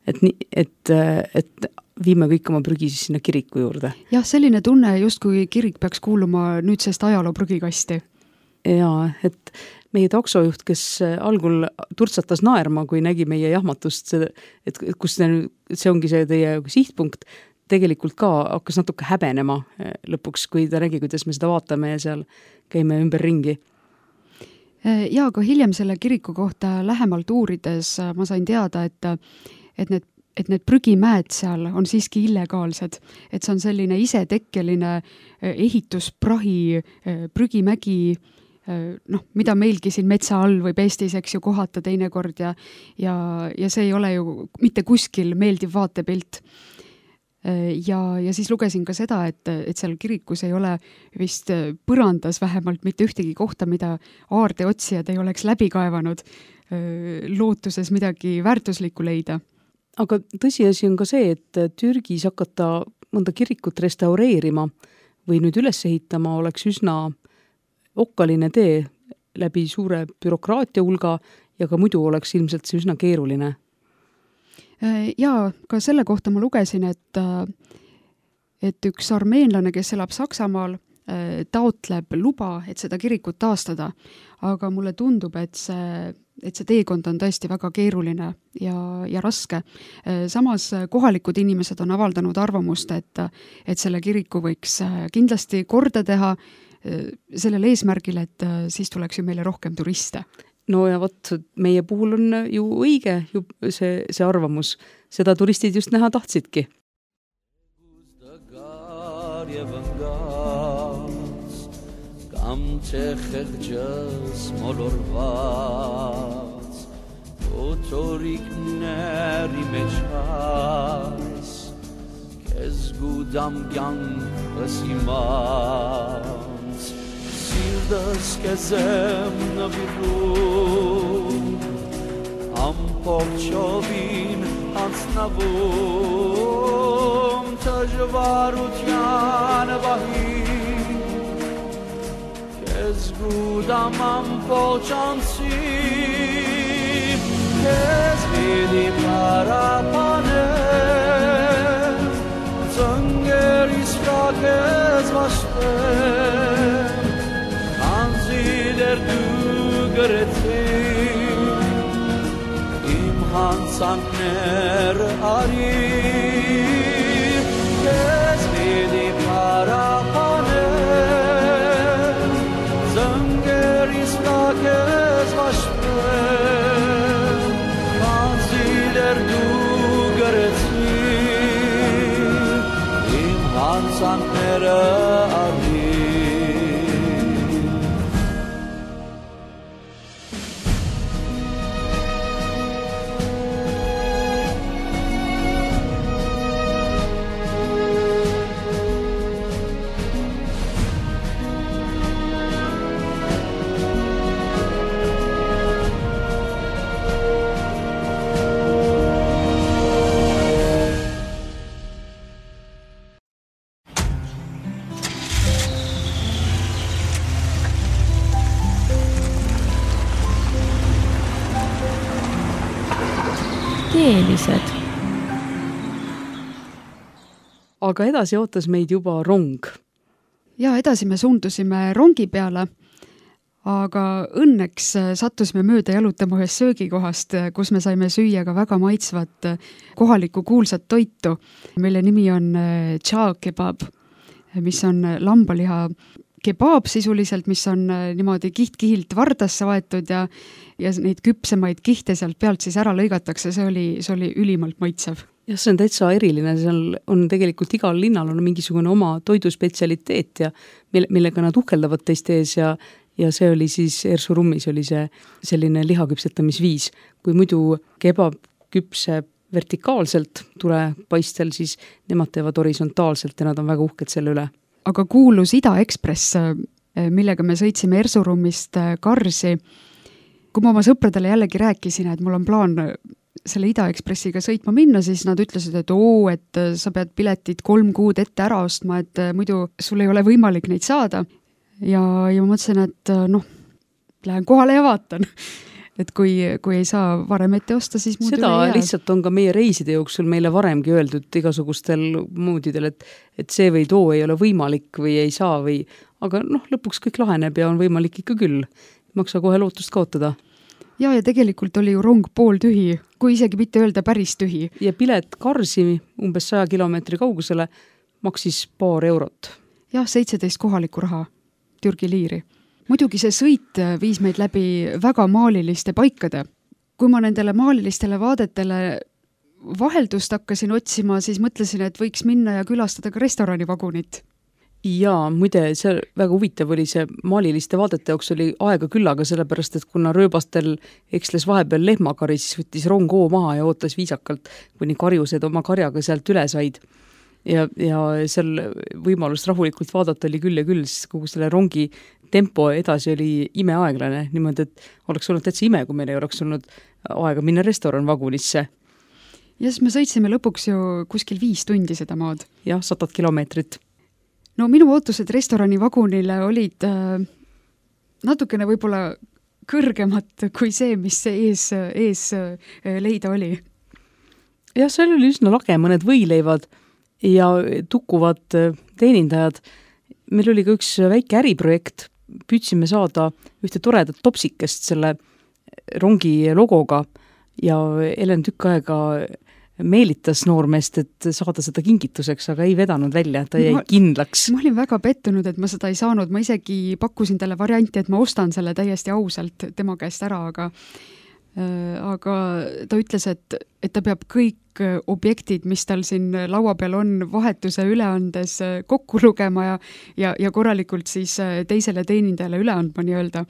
Et, nii, et, et viime kõik oma prügi siis sinna kiriku juurde. Jah, selline tunne justkui kirik peaks kuuluma nüüdsest ajaloo prügikasti. Jaa, et meie taksojuht, kes algul turtsatas naerma, kui nägi meie jahmatust, et kus see ongi see teie sihtpunkt, tegelikult ka hakkas natuke häbenema lõpuks, kui ta nägi, kuidas me seda vaatame ja seal käime ümber ringi. Ja, aga hiljem selle kiriku kohta lähemalt uurides ma sain teada, et et need, et need prügimäed seal on siiski illegaalsed, et see on selline isetekkeline ehitusprahi prügimägi, noh, mida meilgi siin metsa all võib Eestis, eks ju, kohata teinekord ja, ja, ja see ei ole ju mitte kuskil meeldiv vaatepilt. Ja, ja siis lugesin ka seda, et, et seal kirikus ei ole vist põrandas vähemalt mitte ühtegi kohta, mida aardeotsijad ei oleks läbi kaevanud lootuses midagi väärtuslikku leida. Aga tõsiasi on ka see, et Türgis hakata mõnda kirikut restaureerima või nüüd üles ehitama oleks üsna okkaline tee läbi suure bürokraatia hulga ja ka muidu oleks ilmselt see üsna keeruline. Ja ka selle kohta ma lugesin, et, et üks armeenlane, kes elab Saksamaal, taotleb luba, et seda kirikut taastada, aga mulle tundub, et see, et see teekond on tõesti väga keeruline ja, ja raske. Samas kohalikud inimesed on avaldanud arvamust, et, et selle kiriku võiks kindlasti korda teha sellel eesmärgil, et siis tuleks ju meile rohkem turiste. No ja vot, meie puhul on ju õige ju see, see arvamus. Seda turistid just näha tahtsidki. Am tehegjas molorvats Otorik neri mechas Kez gudam gang asimans Sirdas kezem naviru Am pokchovin ansnavum Tajvarutyan bahim Ez gudam am poçansi Ez vidi parapane Zönger isfrak ez vaşte Anzider dügereti İmhan sankner ari Ez vidi parapane Kez vaşten Kanziler dugereti İmhan sanknere arri Keelised. Aga edasi ootas meid juba rong. Ja edasi me suundusime rongi peale, aga õnneks sattusime mööda jalutama ühes söögikohast, kus me saime süüa ka väga maitsvat kohalikku kuulsat toitu, mille nimi on Cha kebab, mis on lambaliha kebaab sisuliselt, mis on niimoodi kiht-kihilt vardasse vaetud ja, ja neid küpsemaid kihte sealt pealt siis ära lõigatakse, see oli, see oli ülimalt maitsev. Ja see on täitsa eriline, seal on tegelikult igal linnal on mingisugune oma toiduspetsialiteet ja mille, millega nad uhkeldavad teiste ees ja, ja see oli siis Erzurummis oli see selline lihaküpsetamisviis. Kui muidu kebab küpseb vertikaalselt tulepaistel, siis nemad teevad horisontaalselt ja nad on väga uhked selle üle. Aga kuulus Ida Ekspress, millega me sõitsime Ersurummist Karsi. Kui ma oma sõpradele jällegi rääkisin, et mul on plaan selle Ida Ekspressiga sõitma minna, siis nad ütlesid, et oo, et sa pead piletid kolm kuud ette ära ostma, et muidu sul ei ole võimalik neid saada. Ja, ja ma mõtlesin, et noh, lähen kohale ja vaatan. Et kui, kui ei saa varem ette osta, siis muud seda üle ei jää. lihtsalt on ka meie reiside jooksul meile varemgi öeldud igasugustel moodidel, et, et see või too ei ole võimalik või ei saa või, aga noh, lõpuks kõik laheneb ja on võimalik ikka küll. Maksa kohe lootust kaotada. Ja, ja tegelikult oli ju rong pool tühi, kui isegi mitte öelda päris tühi. Ja pilet Karsi umbes saja kilomeetri kaugusele maksis paar eurot. Jah, seitseteist kohaliku raha, Türgi liiri. Muidugi see sõit viis meid läbi väga maaliliste paikade. Kui ma nendele maalilistele vaadetele vaheldust hakkasin otsima, siis mõtlesin, et võiks minna ja külastada ka restoranivagunit. Jaa, muide, see väga huvitav oli see maaliliste vaadete jaoks oli aega küllaga, sellepärast, et kuna rööbastel eksles vahepeal lehmakari, siis võttis rong hoo maha ja ootas viisakalt, kuni karjused oma karjaga sealt üle said. Ja, ja seal võimalust rahulikult vaadata oli küll ja küll, siis kogu selle rongi tempo edasi oli imeaeglane, niimoodi, et oleks olnud täitsa ime, kui meil ei oleks olnud aega minna restoranvagunisse. Ja siis me sõitsime lõpuks ju kuskil viis tundi seda maad. Jah, satad kilomeetrit. No minu ootused restoranivagunile olid äh, natukene võib-olla kõrgemad kui see, mis ees, ees äh, leida oli. Jah, seal oli üsna lage, mõned võileivad ja tukkuvad teenindajad. Meil oli ka üks väike äriprojekt, püüdsime saada ühte toredat topsikest selle rongi logoga ja Elen tükk aega meelitas noormeest, et saada seda kingituseks, aga ei vedanud välja, ta jäi ma, kindlaks. Ma olin väga pettunud, et ma seda ei saanud, ma isegi pakkusin talle varianti, et ma ostan selle täiesti ausalt tema käest ära, aga äh, aga ta ütles, et, et ta peab kõik objektid, mis tal siin laua peal on, vahetuse üleandes kokku lugema ja, ja, ja korralikult siis teisele teenindajale üle andma nii-öelda.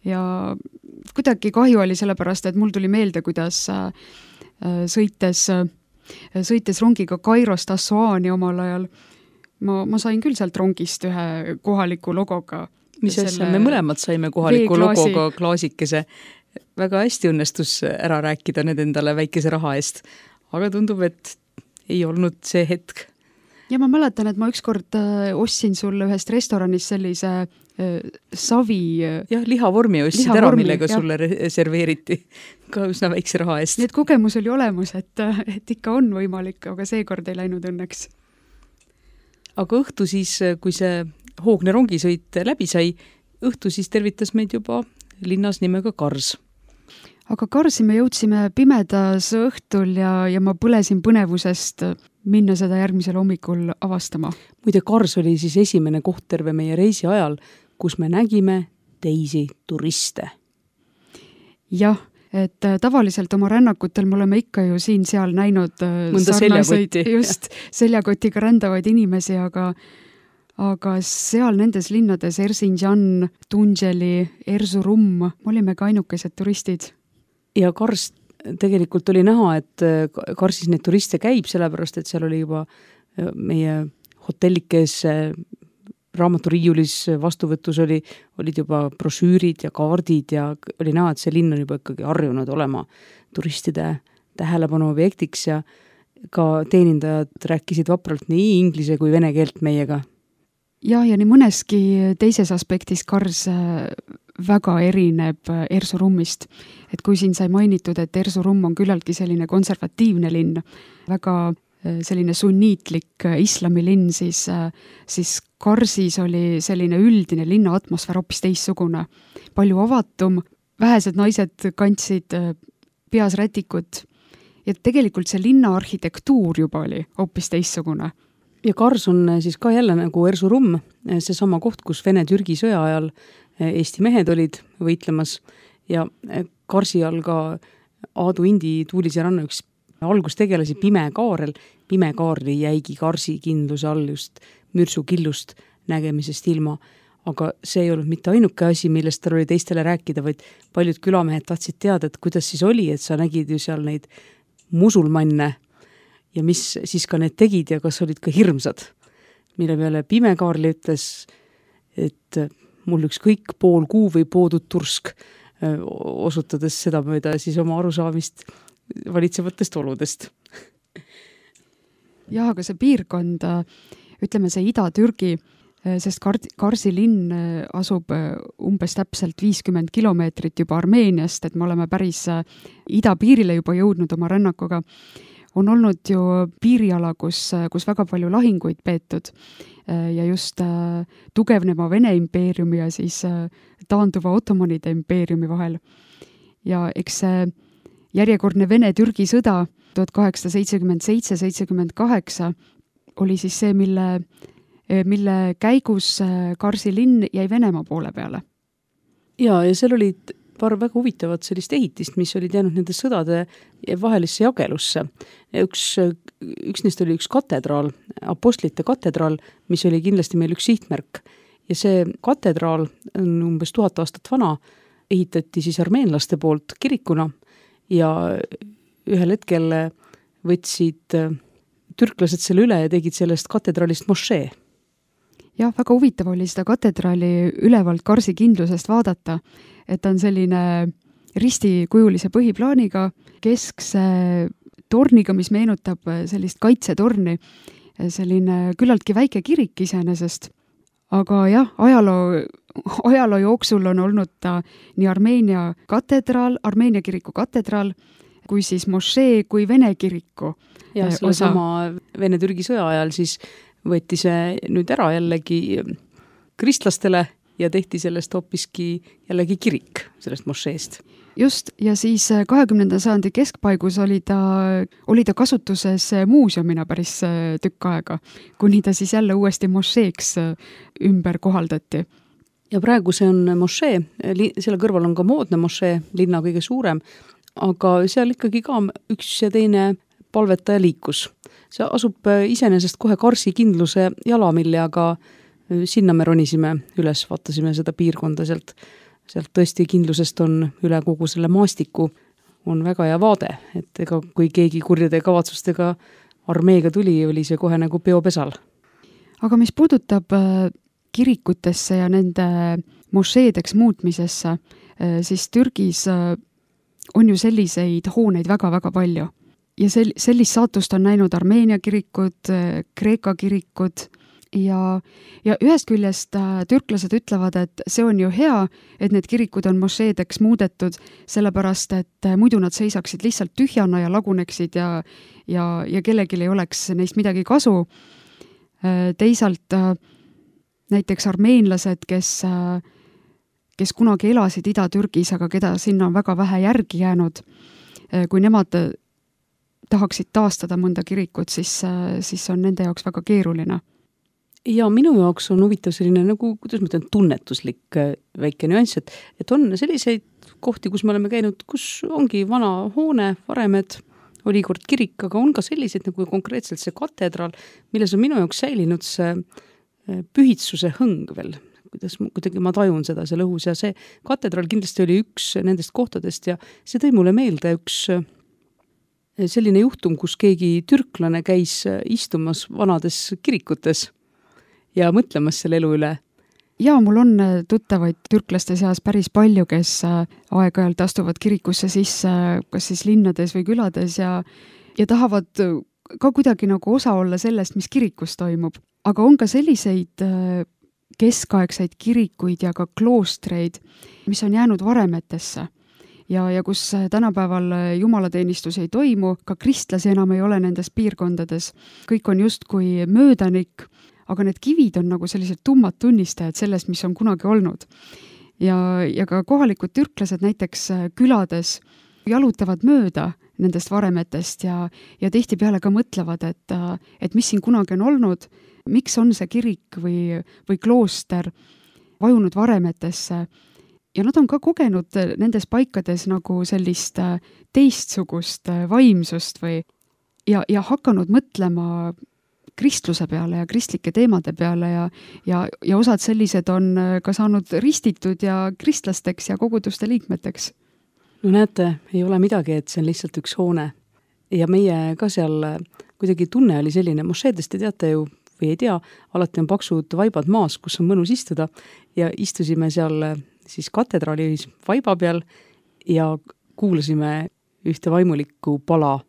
Ja kuidagi kahju oli sellepärast, et mul tuli meelde, kuidas sõites, sõites rongiga Kairost Assuaani omal ajal. Ma, ma sain küll sealt rongist ühe kohaliku logoga. Mis asja, me mõlemad saime kohaliku veeklaasi. Logoga klaasikese. Väga hästi õnnestus ära rääkida need endale väikese raha eest. Aga tundub, et ei olnud see hetk. Ja ma mäletan, et ma ükskord ostsin sulle ühest restoranis sellise savi... Jah, lihavormi ostsid liha ära, millega jah. Sulle serveeriti ka üsna väikse raha eest. Nii et kogemus oli olemus, et, et ikka on võimalik, aga seekord ei läinud õnneks. Aga õhtu siis, kui see hoogne rongisõit läbi sai, õhtu siis tervitas meid juba linnas nimega Kars. Aga Karsi me jõudsime pimedas õhtul ja, ja ma põlesin põnevusest minna seda järgmisel hommikul avastama. Muide, Kars oli siis esimene koht terve meie reisi ajal, kus me nägime teisi turiste. Jah, et tavaliselt oma rännakutel me oleme ikka ju siin-seal näinud mõnda seljakotti. Just seljakotiga rändavaid inimesi, aga, aga seal nendes linnades Erzincan, Tunželi, Erzurum olime ka ainukesed turistid. Ja Kars tegelikult oli näha, et Karsis need turiste käib, sellepärast, et seal oli juba meie hotellikes raamaturiiulis vastuvõtus oli, olid juba brošüürid ja kaardid ja oli näha, et see linn on juba ikkagi harjunud olema turistide tähelepanu objektiks ja ka teenindajad rääkisid vapralt nii inglise kui vene keelt meiega. Ja, ja nii mõneski teises aspektis Kars väga erineb Erzurummist. Et kui siin sai mainitud, et Erzurum on küllaltki selline konservatiivne linn, väga selline sunniitlik islamilinn, siis, siis Karsis oli selline üldine linna atmosfäär hoopis teissugune. Palju avatum, vähesed naised kandsid peas rätikut ja tegelikult see linna arhitektuur juba oli hoopis teissugune. Ja Kars on siis ka jälle nagu Erzurum, see sama koht, kus Vene-Türgi sõja ajal Eesti mehed olid võitlemas ja Karsi all ka Aadu Indi Tuulise ranna üks algustegelasi Pime Kaarel. Pime Kaarli jäigi Karsi kindluse all just mürsu killust nägemisest ilma, aga see ei olnud mitte ainuke asi, millest tal oli teistele rääkida, vaid paljud külamehed tahtsid teada, et kuidas siis oli, et sa nägid ju seal neid musulmanne ja mis siis ka need tegid ja kas olid ka hirmsad. Mille peale Pime Kaarli ütles, et mul üks kõik pool kuu või poodud tursk, osutades seda mööda siis oma arusaamist valitsevatest oludest. Jah, aga see piirkond, ütleme see Ida-Türgi, sest Karsi linn asub umbes täpselt viiskümmend kilomeetrit juba Armeeniast, et me oleme päris idapiirile juba jõudnud oma rännakuga, on olnud ju piiriala, kus, kus väga palju lahinguid peetud ja just tugevneva Vene impeeriumi ja siis taanduva Ottomanide impeeriumi vahel. Ja eks see järjekordne Vene-Türgi sõda tuhat kaheksasada seitsekümmend seitse seitsekümmend kaheksa oli siis see, mille, mille käigus Karsi linn jäi Venemaa poole peale. Ja, ja seal olid paar väga huvitavat sellist ehitist, mis olid jäänud nende sõdade vahelisse jagelusse. Üks, üks neist oli üks katedraal, apostlite katedraal, mis oli kindlasti meil üks sihtmärk. Ja see katedraal on umbes tuhat aastat vana, ehitati siis armeenlaste poolt kirikuna ja ühel hetkel võtsid türklased selle üle ja tegid sellest katedraalist mošee. Jah, väga huvitav oli seda katedraali ülevalt Karsi kindlusest vaadata, et on selline ristikujulise põhiplaaniga, keskse torniga, mis meenutab sellist kaitsetorni, selline küllaltki väike kirik iseenesest. Aga jah, ajaloo, ajaloo jooksul on olnud ta nii Armeenia katedraal, Armeenia kiriku katedraal, kui siis mošee, kui Vene kiriku ja selle osa. Sama Vene-Türgi sõja ajal siis võeti see nüüd ära jällegi kristlastele ja tehti sellest hoopiski jällegi kirik sellest mošeest. Just, ja siis kahekümnenda sajandi keskpaigus oli ta, oli ta kasutuses muuseumina päris tükk aega, kuni ta siis jälle uuesti mošeeks ümber kohaldati. Ja praegu see on mošee, selle kõrval on ka moodne mošee, linna kõige suurem, aga seal ikkagi ka üks ja teine palvetaja liikus. See asub iseenesest kohe Karsi kindluse jalamille, aga sinna me ronisime üles, vaatasime seda piirkonda sealt. Sealt tõesti kindlusest on üle kogu selle maastiku on väga hea vaade, et ega kui keegi kurjade kavatsustega armeega tuli, oli see kohe nagu peopesal. Aga mis puudutab kirikutesse ja nende mošeedeks muutmisesse, siis Türgis on ju selliseid hooneid väga-väga palju. Ja sel- sellist saatust on näinud Armeenia kirikud, Kreeka kirikud ja, ja ühest küljest türklased ütlevad, et see on ju hea, et need kirikud on mošeedeks muudetud, sellepärast, et muidu nad seisaksid lihtsalt tühjana ja laguneksid ja, ja, ja kellelgi ei oleks neist midagi kasu. Teisalt näiteks armeenlased, kes, kes kunagi elasid Ida-Türgis, aga keda sinna on väga vähe järgi jäänud, kui nemad tahaksid taastada mõnda kirikut, siis, siis on nende jaoks väga keeruline. Ja minu jaoks on huvitav selline nagu, kuidas ma ütlen, tunnetuslik väike nüanss, et, et on selliseid kohti, kus me oleme käinud, kus ongi vana hoone, varemed, oli kord kirik, aga on ka sellised nagu konkreetselt see katedraal, milles on minu jaoks säilinud see pühitsuse hõng veel, kuidas kuidagi ma tajun seda seal õhus ja see katedraal kindlasti oli üks nendest kohtadest ja see tõi mulle meelde üks selline juhtum, kus keegi türklane käis istumas vanades kirikutes ja mõtlemas selle elu üle. Ja mul on tuttavaid türklaste seas päris palju, kes aeg-ajalt astuvad kirikusse sisse, kas siis linnades või külades ja, ja tahavad ka kuidagi nagu osa olla sellest, mis kirikus toimub. Aga on ka selliseid keskaegseid kirikuid ja ka kloostreid, mis on jäänud varemetesse. Ja, ja kus tänapäeval jumalateenistus ei toimu, ka kristlasi enam ei ole nendes piirkondades. Kõik on justkui möödanik, aga need kivid on nagu sellised tummad tunnistajad sellest, mis on kunagi olnud. Ja, ja ka kohalikud türklased näiteks külades jalutavad mööda nendest varemetest ja, ja tihtipeale ka mõtlevad, et, et mis siin kunagi on olnud, miks on see kirik või, või klooster vajunud varemetesse. Ja nad on ka kogenud nendes paikades nagu sellist teistsugust vaimsust või ja, ja hakanud mõtlema kristluse peale ja kristlike teemade peale ja, ja, ja osad sellised on ka saanud ristitud ja kristlasteks ja koguduste liikmeteks. No näete, ei ole midagi, et see on lihtsalt üks hoone. ja meie ka seal kuidagi tunne oli selline, mošeedest te teate ju või ei tea, alati on paksud vaibad maas, kus on mõnus istuda ja istusime seal siis katedraalis vaiba peal ja kuulasime ühte vaimulikku pala.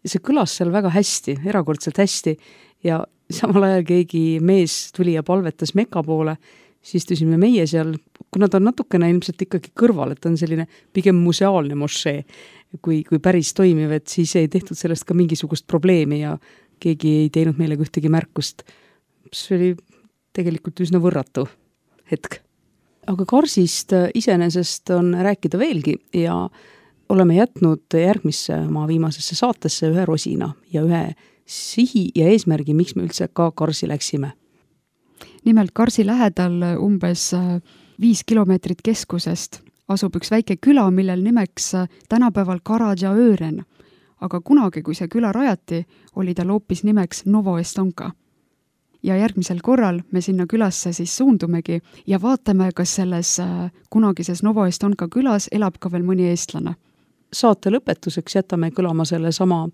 Ja see kõlas seal väga hästi, erakordselt hästi ja samal ajal keegi mees tuli ja palvetas Mekka poole, siis istusime meie seal, kuna ta on natukene ilmselt ikkagi kõrval, et on selline pigem museaalne mošee, kui, kui päris toimiv, et siis ei tehtud sellest ka mingisugust probleemi ja keegi ei teinud meile ühtegi märkust. See oli tegelikult üsna võrratu hetk. Aga Karsist iseenesest on rääkida veelgi ja oleme jätnud järgmisse oma viimasesse saatesse ühe rosina ja ühe sihi ja eesmärgi, miks me üldse ka Karsi läksime. Nimelt Karsi lähedal umbes viis kilomeetrit keskusest asub üks väike küla, millel nimeks tänapäeval Karadžaöören. Aga kunagi, kui see küla rajati, oli tal hoopis nimeks Novo Estonka. Ja järgmisel korral me sinna külasse siis suundumegi ja vaatame, kas selles kunagises Novo Estonka külas elab ka veel mõni eestlane. Saate lõpetuseks jätame kõlama selle sama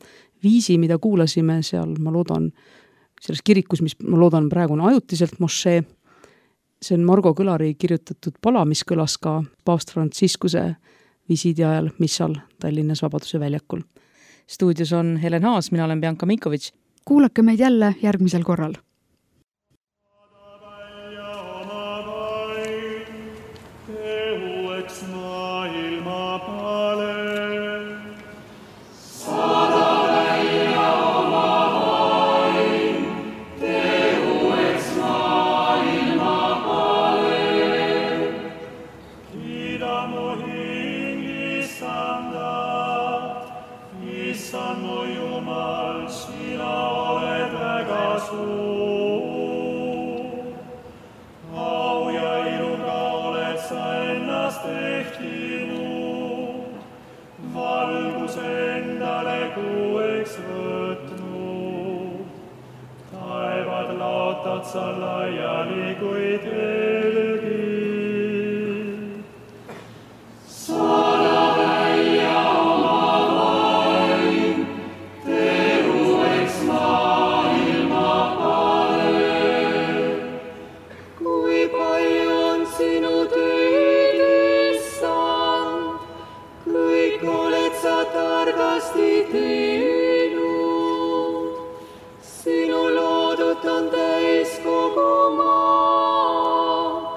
viisi, mida kuulasime seal, ma loodan, selles kirikus, mis ma loodan praegu on ajutiselt mošee. See on Margo Kõlari kirjutatud pala, mis kõlas ka paavst Franciscuse visiidi ajal Missal Tallinnas Vabaduse väljakul. Stuudios on Helen Haas, mina olen Bianca Minkovitš. Kuulake meid jälle järgmisel korral. Sa laiali kui telgi. Saada välja oma vaim, terueks maailma pale. Kui palju on sinu töid, Issand, kõik oled sa targasti teinud. Sinu loodut on täis kogu maa.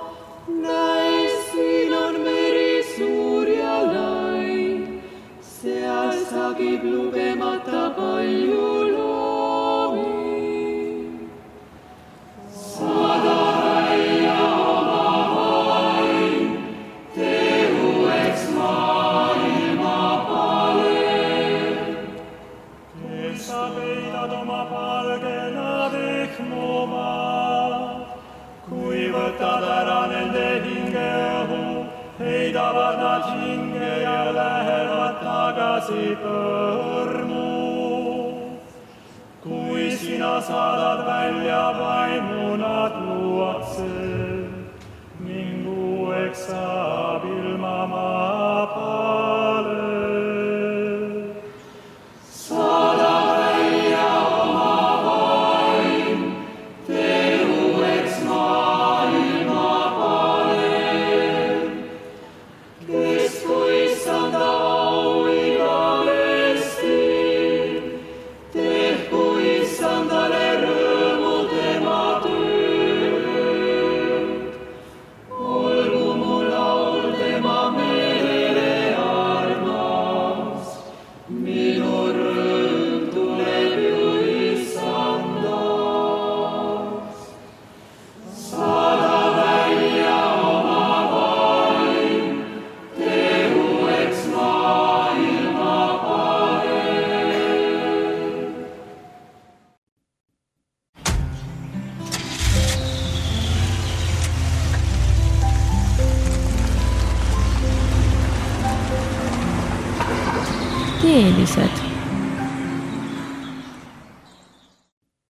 Näis, siin on meri suur ja lai. Seal sagib lugemata palju loomi. Saada välja oma vaim, terueks maailma pale. Kes sa peidad oma palgena vihmuma, kui võtad ära nende hingeõhu, heidavad nad hinge ja lähevad tagasi põrmu. Kui sina saadad välja vaimu, nad luuakse, ning uueks saab ilma maapale. Saada välja oma vaim, terueks maailma pale. Kes kui Issanda au igavesti, tehku Issandale rõõmu tema tööd. Olgu mu laul tema meelele armas, minu rõõm tuleb ju Issandast. Saada välja oma vaim, terueks maailma pale. Keelised